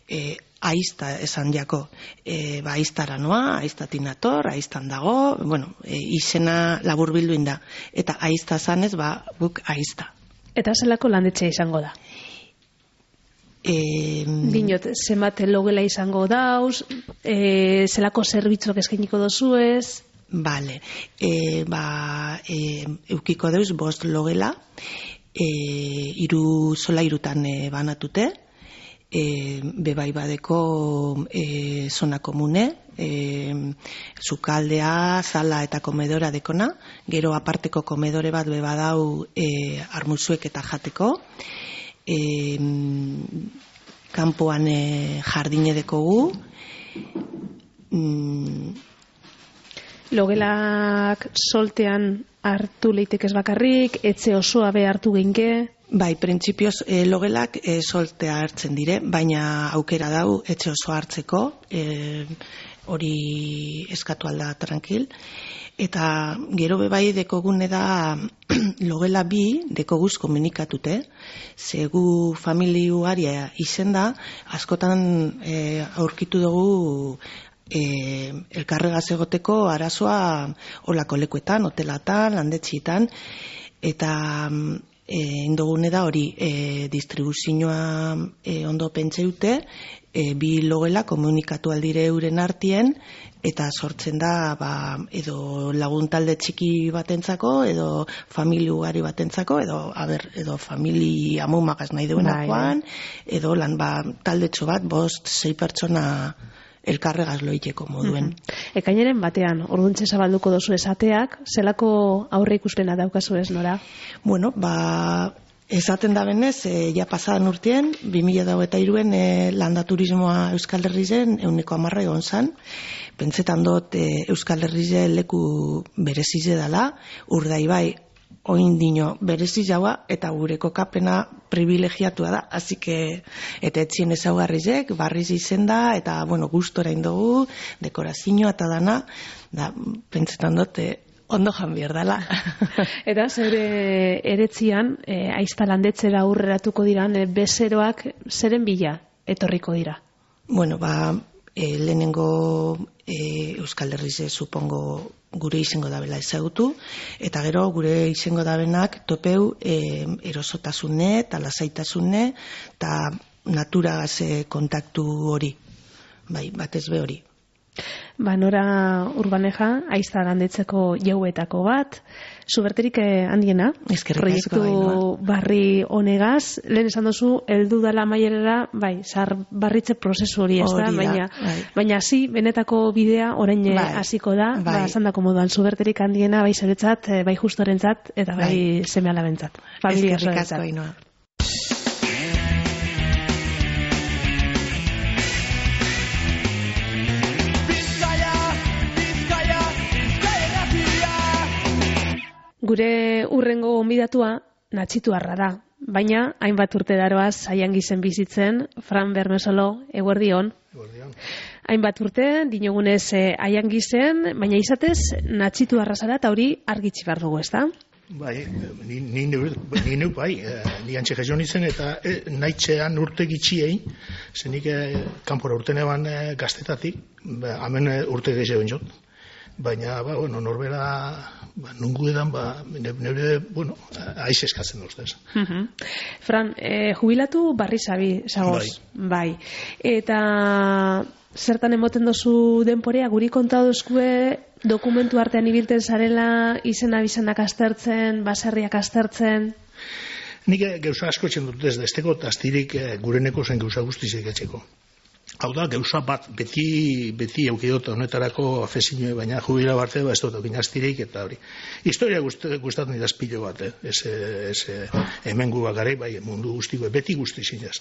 e, aizta esan jako. E, ba, aiztara noa, aiztatin ator, aiztan dago, bueno, e, izena laburbildu inda. Eta aizta zanez, ba, guk aizta. Eta zelako landetxea izango da? E, Dinot, zenbat logela izango dauz, e, zelako zerbitzuak eskainiko dozuez? Bale, e, ba, e, eukiko deuz bost logela, e, iru sola irutan e, banatute, e, bebai badeko e, zona komune, e, sukaldea, zala eta komedora dekona, gero aparteko komedore bat bebadau e, armuzuek eta jateko, e, kanpoan e, jardine dekogu, mm, Logelak soltean hartu leitekez bakarrik, etxe osoa be hartu geinke? Bai, printzipioz e, logelak e, soltea hartzen dire, baina aukera dau etxe osoa hartzeko, e, hori eskatu alda tranquil. Eta gero bebai dekogune da logela bi dekoguz komunikatute, zegu familiuaria izen da, askotan e, aurkitu dugu E, elkarregaz egoteko arazoa olako lekuetan, hotelatan, landetxietan, eta e, indogune da hori e, distribuzioa e, ondo pentseute, e, bi logela komunikatu aldire euren artien, eta sortzen da ba, edo laguntalde txiki batentzako, edo familia ugari batentzako, edo, aber, edo famili amumagaz nahi duenakoan, edo lan ba, taldetxo bat, bost, sei pertsona elkarregaz loiteko moduen. Mm-hmm. Ekainaren batean, orduntxe zabalduko dozu esateak, zelako aurre ikuspena daukazu ez, Nora? Bueno, ba, esaten da benez, e, ja pasadan urtien, bi mila eta hiruen e, landa turismoa Euskal Herrizen euneko hamarra egon zan. Pentsetan dut e, Euskal Herrizen leku berezize dela, Urdaibai oin dino berezi jaua eta gure kokapena privilegiatua da, así que eta etxien ezaugarrizek, barriz izen da, eta bueno, gustora indogu, dekorazioa eta dana, da, pentsetan dut, ondo jan behar dela. Eta zure eretzian, e, aizta landetzera aurreratuko diran, e, bezeroak zeren bila etorriko dira? Bueno, ba, e, lehenengo e, Euskal Herrize supongo gure izango dabela ezagutu, eta gero gure izango dabenak topeu e, erosotasune eta lasaitasune eta naturagaz kontaktu hori, bai, batez be hori. Ba, Nora Urbaneja, aizta landetzeko jauetako bat, zuberterik handiena, proiektu barri honegaz, lehen esan dozu, heldu dala maierera, bai, zar barritze prozesu hori ez da, baina, bai. baina zi, benetako bidea orain hasiko da, bai. Ba, esan dako moduan, zuberterik handiena, bai zeretzat, bai justorentzat, eta bai, bai. Seme alabentzat. Eskerrik asko, Ainhoa. Gure urrengo onbidatua natxituarra da, baina hainbat urte daroaz Aiangi zen bizitzen, Fran Bermesolo, eguerdion. Eguerdion. Hainbat urte, dinogunez eh, Aiangi zen, baina izatez natxituarra zara eta hori argitsi behar dugu, ez da? Bai, ni, ni, ni neu bai, ni antxe jason izen eta e, nahitzean urte gitxiei, zenik e, kanpora urte neban e, gaztetatik, ba, hemen e, urte gehiago jot. Baina, ba, bueno, norbera, ba, nungu edan, ba, neure, bueno, aiz eskatzen duztez. Uh-huh. Fran, eh, jubilatu barri zabi, zagoz. Bai. bai. Eta zertan emoten dozu denporea, guri konta dozkue dokumentu artean ibilten zarela, izena bizenak aztertzen, baserriak aztertzen? Nik gauza asko etxen dut ez desteko, astirik gureneko zen gauza guztizik etxeko. Hau da, gauza bat, beti, beti eukidota honetarako afezinue, baina jubila barte, ba, ez dut okin astirik, eta hori. Historia gustatzen dira espilo bat, eh? ez, ez hemen gu bakarrik, bai, mundu guztiko, beti guzti zinez.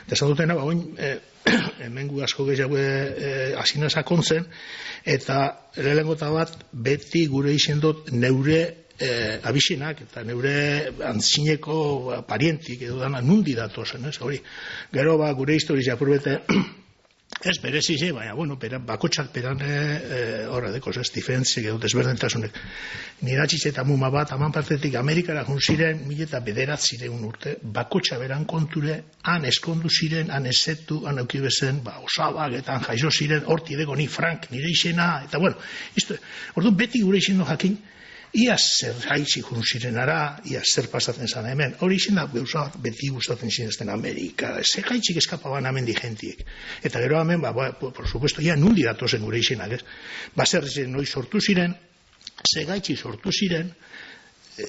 Desan dutena, ba, oin, eh, hemen gu asko gehiago eh, asina sakontzen, eta lehenengota bat, beti gure izen dut neure eh, abisenak, eta neure antzineko parientik, edo dana, nundi datozen, ez, hori. Gero, ba, gure historia apurbete, ez berezize, baina, bueno, beran, bakotxak beran horre dekos, ez, diferentzik edo desberdentasunek. Niratxiz eta muma bat, aman partetik Amerikara jun ziren, mila eta bederat ziren urte, bakotxa beran konture, han eskondu ziren, han ezetu, han aukibezen, ba, osabak, eta han jaizo ziren, horti dego ni Frank, nire izena, eta bueno, isto, orduan beti gure izeno jakin, ia zer haitzi jun ziren ara, ia zer pasatzen zan hemen. Hori izan da, gauza beti gustatzen zinezten Amerika, zer haitzik eskapaban hemen digentiek. Eta gero hemen, ba, ba, por supuesto, ia nundi datozen gure izenak, ez? Baser noiz sortu ziren, zer haitzi sortu ziren,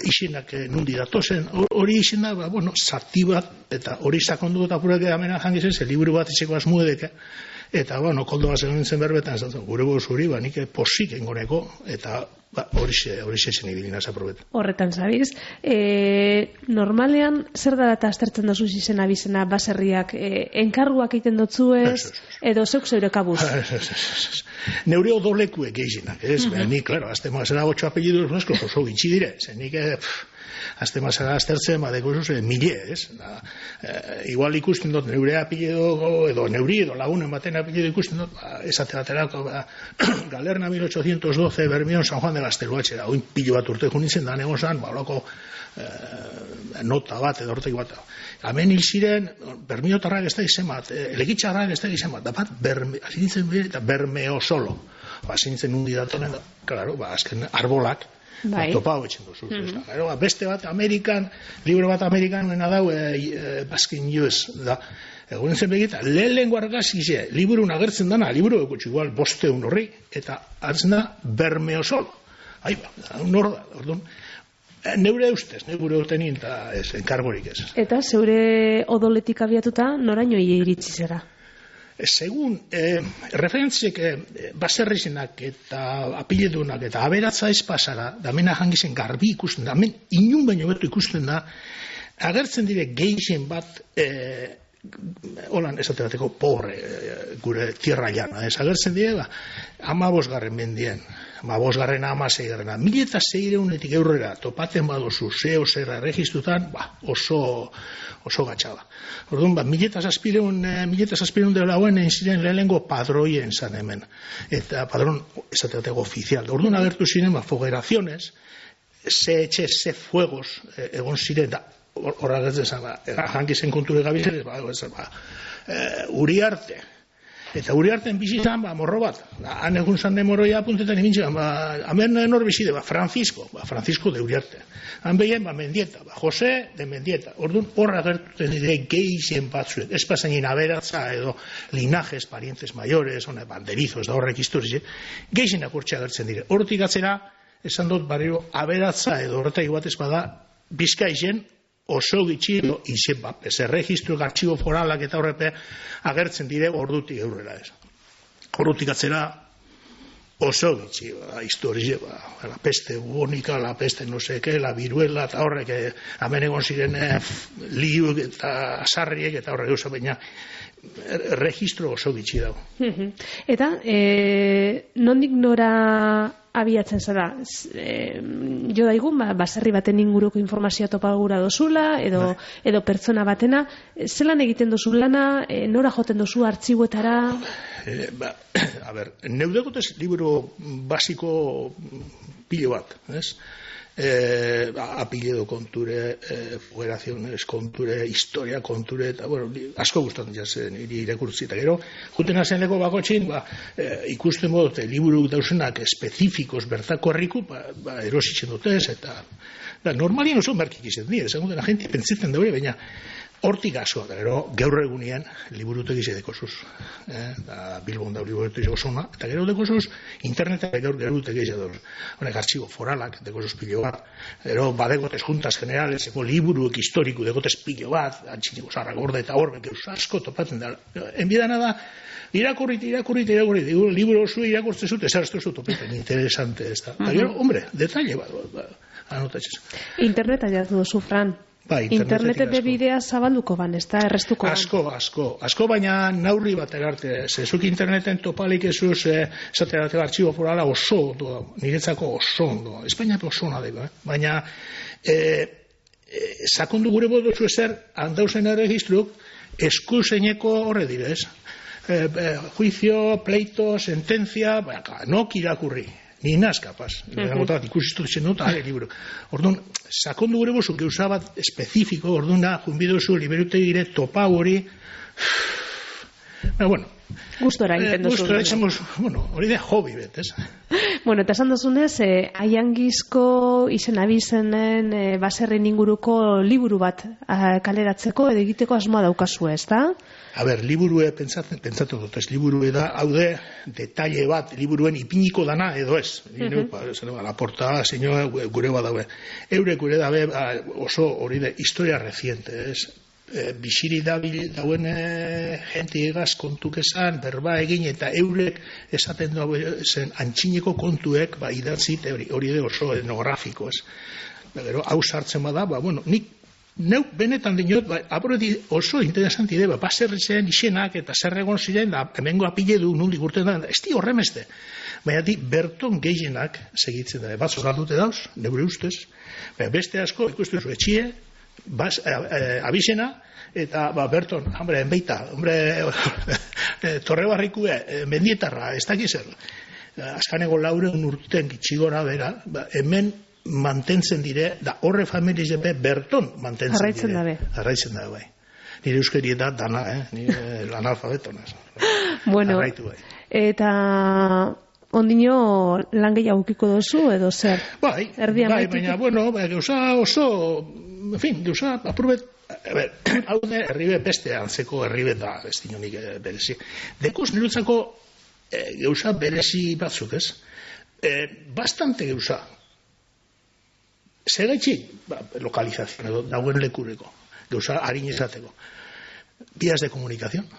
izenak nundi datozen, hori izena, ba, bueno, zati bat, eta hori sakondu eta purak amena jangizen, ze liburu bat izeko asmuedeke, eta, bueno, koldo bat zegoen zen berbetan, zaten, gure goz hori, ba, nik posik engoneko, eta ba, hori xe zen ibilina zaprobet. Horretan, zabiz. E, normalean, zer dara eta aztertzen dozu izena bizena baserriak, e, enkarguak egiten dotzu ez, edo zeuk zeure kabuz? Neure odolekuek gehienak, ez? Uh -huh. Nik, klaro, azte mazera otxo apellidos nueskos oso gitxi dire, zen nik, azte mazera aztertzen, badeko zuz, mile, ez? Da, e, igual ikusten dut neure apellido, edo neuri, edo lagunen baten apellido ikusten dut, ba, esate baterako, ba, Galerna mil ochocientos doce, Bermión, San Juan de Gazteluatxe, da, oin pilo bat urte junitzen, da negozan, ba, olako e, nota bat, edo ortegi bat. Hemen hil ziren, Bermiotarrak ez da izan bat, Elekitxarrak ez da izan bat, da bat, azintzen bire, eta Bermeo solo. Ba, azintzen undi datonen, klaro, ba, azken arbolak, bai. Ba, topa hau etxen duzu. Mm -hmm. Ba, beste bat, Amerikan, libro bat Amerikan, nena dau, e, e, Baskin U S, da, egunen zen begita, lehen lehen guargazkize, liburun agertzen dana, liburu ekutxu igual bosteun horri, eta hartzen da Bermeo solo. Ai, ba, nor da, orduan, neure ustez, neure urtenin, eta ez, enkargorik ez. Eta zeure odoletik abiatuta, noraino iritsi zera? Segun, eh, referentziek eh, baserrizenak eta apiledunak eta aberatza ez pasara, da mena jangizen garbi ikusten da, hemen inun baino betu ikusten da, agertzen dire gehien bat, eh, holan esate bateko pobre, eh, gure tierra llana, ez agertzen dire, ba, ama bosgarren mendien, ama bosgarren ama zeigarrena, mila eta zeireunetik eurrera, topaten badozu, zeo zerra erregistrutan, ba, oso, oso gatxaba. Orduan, ba, mila eta zazpireun, mila eta zazpireun dela hauen egin ziren lehenengo padroien zan hemen, eta padron, esate bateko ofizial. Orduan agertu ziren, ba, fogeraciones, ze etxe, ze fuegos, eh, egon ziren, da, horra gertzen zan, ba, jankizen konture gabizen, ba, ba, e, Uriarte, eta Uriarten bizitan, ba, morro bat, han egun zan de morroia apuntetan imintzen, ba, hemen nor bizide, ba, Francisco, ba, Francisco de Uriarte, han behien, ba, Mendieta, ba, Jose de Mendieta, orduan horra gertuten dire gehien batzuek, ez pasainin aberatza edo linajes, parientes mayores, one, banderizos, da horrek historiz, gehien akurtxea gertzen dire, horretik atzera, esan dut barrio, aberatza edo horretak batez bada, Bizkaizen, oso gitxi edo izen bat, ez erregistro, artxibo foralak eta horrepe agertzen dire ordutik eurrera ez. Ordutik atzera oso gitxi, ba, historie, ba, la peste bubonika, la peste no seke, la viruela, eta horrek, hemen egon ziren eh, liu eta asarriek eta horrek oso baina registro oso gitxi dago. Eta, e, nondik nora abiatzen zara, e, jo daigun, ba, baserri baten inguruko informazioa topagura dozula, edo, edo pertsona batena, zelan egiten dozu lana, e, nora joten dozu artxibuetara? E, ba, a ber, neudegotez libro basiko pilo bat, ez? Eh, apellido konture, eh, federaciones konture, historia konture, eta, bueno, asko gustatzen jazen, iri irakurtzi, eta gero, juten hazen leko bakotxin, ba, eh, ikusten bodote, liburu dauzenak espezifikos bertako herriku, ba, ba erositzen dutez, eta, da, normalien oso merkik izan dira, esan duten, agenti pentsetzen daure, baina, hortik asko, da, gero, gaur egunean, liburutek izan dekozuz, eh, da, Bilbon da liburutek osona, eta gero dekozuz, internetak gaur gerutek izan dauz, honek artxibo foralak, dekozuz pilo bat, gero, badegotez juntas generales, eko liburuek historiku, degotez pilo bat, antxiniko zarra gorde eta horbek eus asko topatzen da, enbidana da, irakurrit, irakurrit, irakurrit, liburu osu irakurtzen zut, ez araztu zut topatzen, interesante ez da, eta gero, hombre, detalle bat, ba, anotatzen. Interneta jatu dozu, Fran. Ba, Internetet de bidea zabalduko ban, ez da, errestuko ban. Asko, asko, asko, baina naurri bat erarte, zezuk interneten topalik ezuz, esaterate artxibo forala oso ondo, niretzako oso ondo, Espainiako oso ondo dago, eh? Baina, e, e, sakondu gure bodozu ezer, handauzen erregistruk, eskuzeineko horre direz, e, e, juicio, pleito, sentencia, baka, nok irakurri. Ni naz kapaz, uh-huh. ikusistu zen dut, ale liburu. Orduan, sakondu gure bozu, geuza bat espezifiko, orduan da, junbidozu, liberute dire, topa hori, bueno, gustora egiten duzu. Gustora egiten duzu, bueno, hori de hobby bet, ez? Bueno, eta esan duzunez, eh, aiangizko izen abizenen eh, baserren inguruko liburu bat eh, kaleratzeko edo egiteko asmoa daukazu, ez da? A ber, liburue pentsatzen, pentsatu dut, ez liburue da, haude, detalle bat, liburuen ipiniko dana edo ez. Uh-huh. Ba, la portada, zinua, gure bat daue. Eure gure dabe oso hori de historia reciente, ez? E, bisiri dabil dauen e, jente egaz kontuk esan, berba egin, eta eurek esaten du zen antxineko kontuek, ba, idatzit, hori, hori de oso etnografiko, ez? Gero, hau sartzen bada, ba, bueno, nik neu benetan dinot, ba, aporeti oso interesanti de, ba, baserritzen izenak eta zer egon ziren, da, hemengo apile du nundik urten da, ez di horremeste. Baina di, berton gehienak segitzen da, bat zoraldute dauz, neure ustez, baina beste asko, ikustu zu etxie, Bas, eh, eh, abizena, eta ba, Berton, hombre, enbeita, hombre, eh, torre barrikue, eh, mendietarra, ez dakiz zer. Azkaneko laureun urten gitxigora bera, ba, hemen mantentzen dire, da horre familiz ebe Berton mantentzen Arraitzen dire. dabe. Arraitzen dabe, bai. Nire euskeri da dana, eh? Nire lanalfabeton. Bueno, arraitu, bai. Eta ondino lan gehiago ukiko duzu edo zer? Bai, Erdi bai, amaitik? baina, bueno, bai, gauza oso, en fin, gauza, aprobet, a ber, hau de, herribe beste antzeko herribe da, ez dinonik e, berezi. Dekuz nirutzako e, gauza berezi batzuk, ez? E, bastante gauza. Zegaitxi, ba, lokalizazio, edo, dauen lekureko, gauza harin izateko. Vías de comunicación.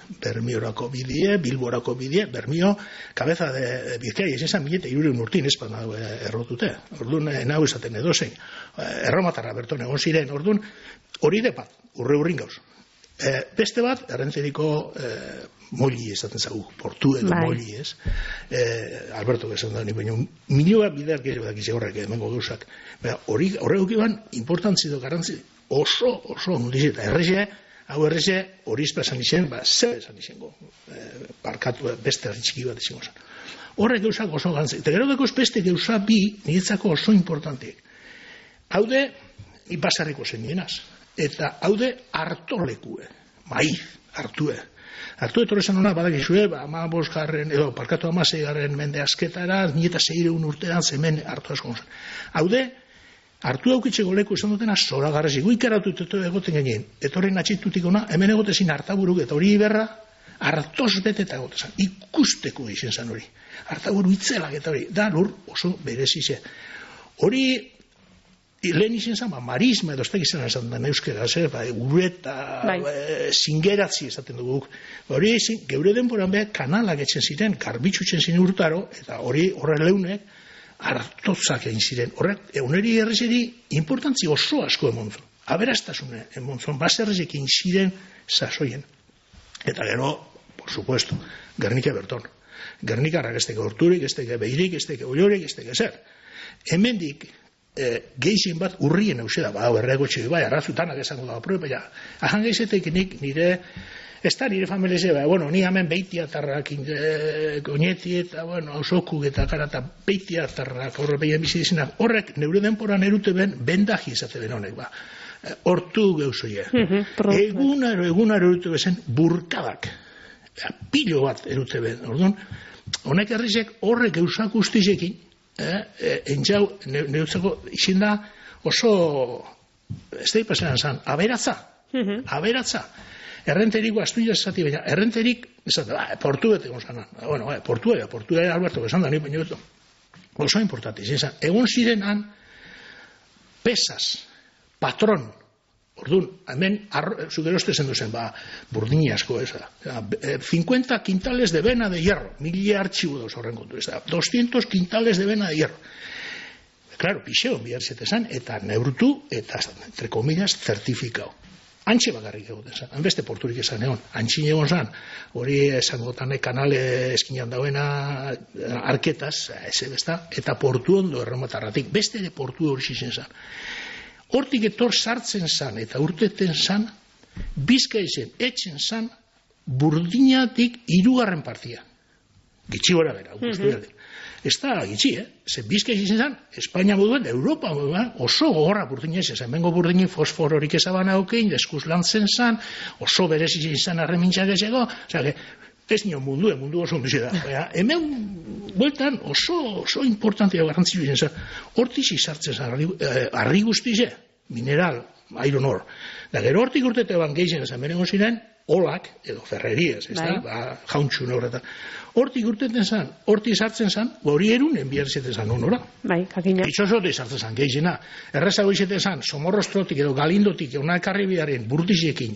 Bermiorako bidie, Bilborako bidie, Bermio, kabeza de, de Bizkaia, esan milete irureun urtin, ez pan errotute. Orduan, nau esaten edozein, erromatarra berton egon ziren, orduan, hori de bat, urre urrin gauz. E, beste bat, errentzeriko e, molli esaten zagu, portu edo bai. Molli, ez? E, Alberto esan da, baina milioa bideak gero dakize horrek, emengo gauzak. Hori, horrek iban, importantzi do garantzi, oso, oso, mundiz, eta erreze, hau erreze, hori izpa esan izen, ba, zer esan izengo, e, barkatu beste txiki bat izango zen. Horrek gauzak oso gantzik. Eta gero dakoz beste gauza bi, niretzako oso importantiek. Haude, ipasarriko zen nienaz. Eta haude, hartolekue, maiz, hartue. Hartu etorre zen hona, badakizue, ba, ama bosgarren, edo, parkatu ama zeigarren mende asketara, nieta zeireun urtean zemen hartu asko zen. Haude, hartu daukitxeko leku esan dutena zora garrasi, guikaratu eto egoten genien, etorren atxitutik ona, hemen egotezin hartaburuk eta hori iberra, hartoz beteta egotezan, ikusteko izen zan hori. Hartaburu itzelak eta hori, da lur oso berezi ze. Hori, lehen izen zan, ba, marisma edo estek izan esan da euskera, zer, ba, ureta, bai. e, zingeratzi esaten dugu. Hori, geure denboran behar kanalak etxen ziren, garbitxutzen ziren urtaro, eta hori horre leunek, hartotzak egin ziren. Horrek, eguneri errezeri, importantzi oso asko emontzun. Aberastasune emontzun, baserrezekin ziren sasoien. Eta gero, por supuesto, Gernika Berton. Gernikarrak ez teke horturik, ez teke behirik, ez teke oiorik, ez teke zer. Hemendik, eh, geixin bat urrien eusera, ba, errego txiki bai, arrazutanak esango da, probe, ja, ahan geizetek nik nire, ez da nire familize, ba, bueno, ni hemen beitiatarrak, e, goñeti eta, bueno, ausokuk eta karata beitiatarrak, horre behien bizi dizinak, horrek neure denporan erute ben, bendaji izate ben honek, ba. Hortu geuzoie. Egunaro, egunaro erute bezen burkadak. Pilo bat erute ben. Orduan, honek herrizek horrek eusak ustizekin, eh, eh, entxau, neutzako izin da oso, ez da ipasenan zan, aberatza. Aberatza. Errenteriko astuia esati, baina errenterik, esate, ba, portu bete gonzanan. Bueno, ba, portu ega, portu ega Alberto besan da, ni baino beto. Oso importante, izin zan. Egun zirenan, pesas, patron, orduan, hemen, zugeroste zen duzen, ba, burdini asko, ez da. cincuenta quintales de vena de hierro, mili artxibu dauz horren kontu, ez da. doscientos quintales de vena de hierro. Claro, pixeo, bihar zetezan, eta neurtu, eta, entre comillas, certifikau. Antxe bakarrik egoten zan, hanbeste porturik esan egon, antxin egon zan, hori esango tanek kanale eskinan dauena arketaz, ez besta, eta portu ondo erromatarratik, beste ere portu hori zizen zan. Hortik etor sartzen zan, eta urteten zan, bizka izen, etxen zan, burdinatik hirugarren partia. Gitxi gora bera, guztu mm-hmm. Ez da gitxi, eh? Ze bizka izan zan, Espainia moduen, Europa moduen, oso gogorra burdina izan zan, bengo burdini fosfororik ezaban haukein, deskuz lantzen zan, oso berez izan zan arremintxak ezego, oza, ez nio mundu, mundu oso ondize da. Baina, hemen, bueltan oso, oso importantea garrantzitsu izan zen. Hortiz izartzen zen, arri, eh, arri guztize, mineral, iron ore. Da, gero hortik urtete ban gehien zen, berengo ziren, olak, edo ferreriez, ez da, ba, jauntxun horretan. Hortik urteten zen, hortik izartzen zen, hori erun, enbiarzeten zen honora. Bai, kakina. Itxosote izartzen zen, gehiena. Errezago izeten zen, somorrostrotik edo galindotik, euna karribiaren burtizekin,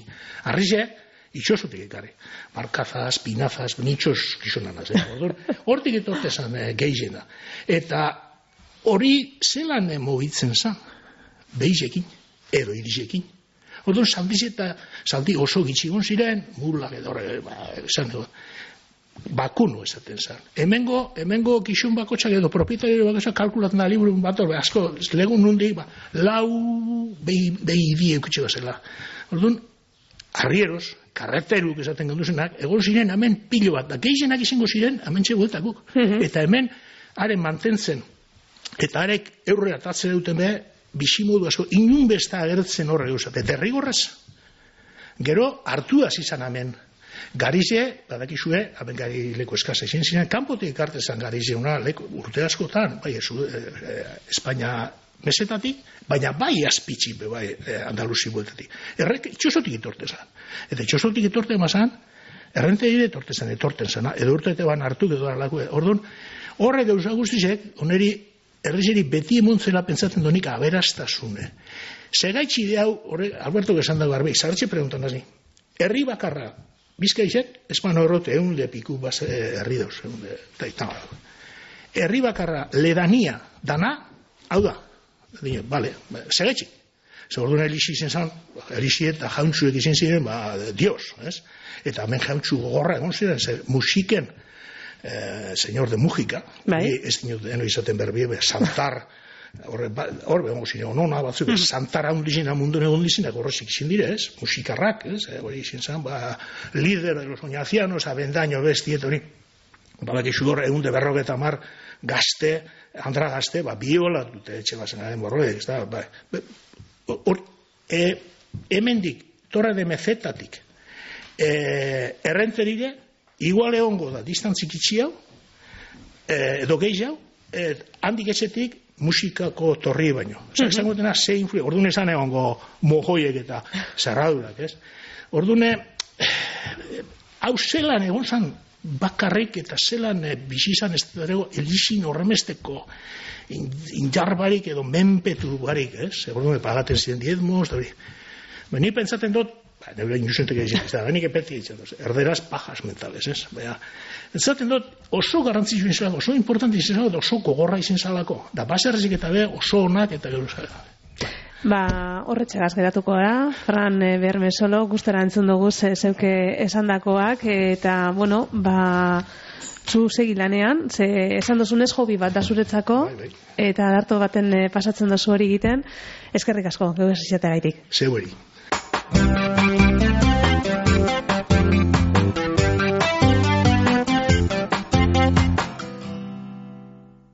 arrize, itxosotik ekarri. Barkazaz, pinazaz, nitxos gizonanaz. Eh? Hortik etorte zen eh, gehiena. Eta hori zelan eh, mogitzen zen, behizekin, edo irizekin. Orduan, saldiz eta saldi oso gitxigon ziren, mulak edo, ba, esan du, bakunu esaten zen. Hemengo, hemengo kixun bakotxak edo propietario bakotxak kalkulatzen da liburu bat, asko, legun nundik, ba, lau behi, behi die eukitxe bazela. Orduan, arrieros, karakteruk esaten genduzenak, egon ziren hemen pilo bat, da gehienak izango ziren, hemen txeguetakuk. Eta hemen, haren mantentzen, eta harek eurre atatzen duten be, bizimodu asko, inun besta agertzen horre gauzat, eta errigorrez. Gero, hartu izan hemen, Garize, badakizue, hemen gari leku eskasa izin ziren, kanpotik ekartezan Garize una leku, urte askotan, bai, ez, eh, Espainia mesetatik, baina bai azpitzi, bai, eh, Andaluzi bueltatik. Errek, itxosotik itortezan. Eta itxosotik itorte emazan, errente dire etortezan, etorten zena, edo urte ban hartu, edo alako, orduan, horre gauza guztizek, oneri, errizeri beti emontzela pentsatzen donik aberastasune. Segaitxi de hau, horre, Alberto esan dago arbei, zabertxe preguntan dazi, herri bakarra, Bizkaizek, espano errote, egun de piku base herri dauz, egun de taitama. Herri bakarra, ledania, dana, hau da, dine, bale, segaitxi. Zer orduan elixi izen zan, elixi eta jauntzuek izen ziren, ba, dios, ez? Eta hemen jauntzu gogorra egon ziren, zer musiken, eh, señor de Mújica, ez dinot deno izaten berbi, santar, horre, horre, ziren, onona batzuk, mm. santara hundizina mundun egon dizinak, horrezik izin dire, ez? Musikarrak, ez? Hori izin zan, ba, líder de los oñacianos, abendaño bestiet, hori, balak izudor, egun de berrogeta mar, gazte, andra gazte, ba, biola dute, etxe bazen, borroek, ez da, ba, hor, e, hemendik, torre de mezetatik, e, errenterire, igual egongo da, distantzik itxi hau, e, edo gehi hau, e, handik etxetik, musikako torri baino. Osa, ez dago dena, ze influio, orduan esan egongo mojoiek eta zerradurak, ez? Orduan, hau zelan egon zan bakarrik eta zelan bizizan ez dago elizin horremesteko indarbarik edo menpetu barik, ez? Orduan, pagaten ziren diezmos, da hori. Ni pentsaten dut, ba, neure inusentek egin, ez da, benik epeti egin, erderaz pajas mentales, ez? Baina, entzaten dut, oso garrantzitsu izan zalako, oso importante izan zalako, oso gogorra izan zalako. Da, baserrezik eta be, oso onak eta gero zalako. Ba, horretxegaz geratuko da, Fran Bermesolo, gustara entzun dugu zeuke esandakoak, eta, bueno, ba, zu segi lanean, ze esan duzunez hobi bat da zuretzako, bai, bai. Eta darto baten pasatzen dozu hori egiten, eskerrik asko, geu ez izatea gaitik. Zeu hori.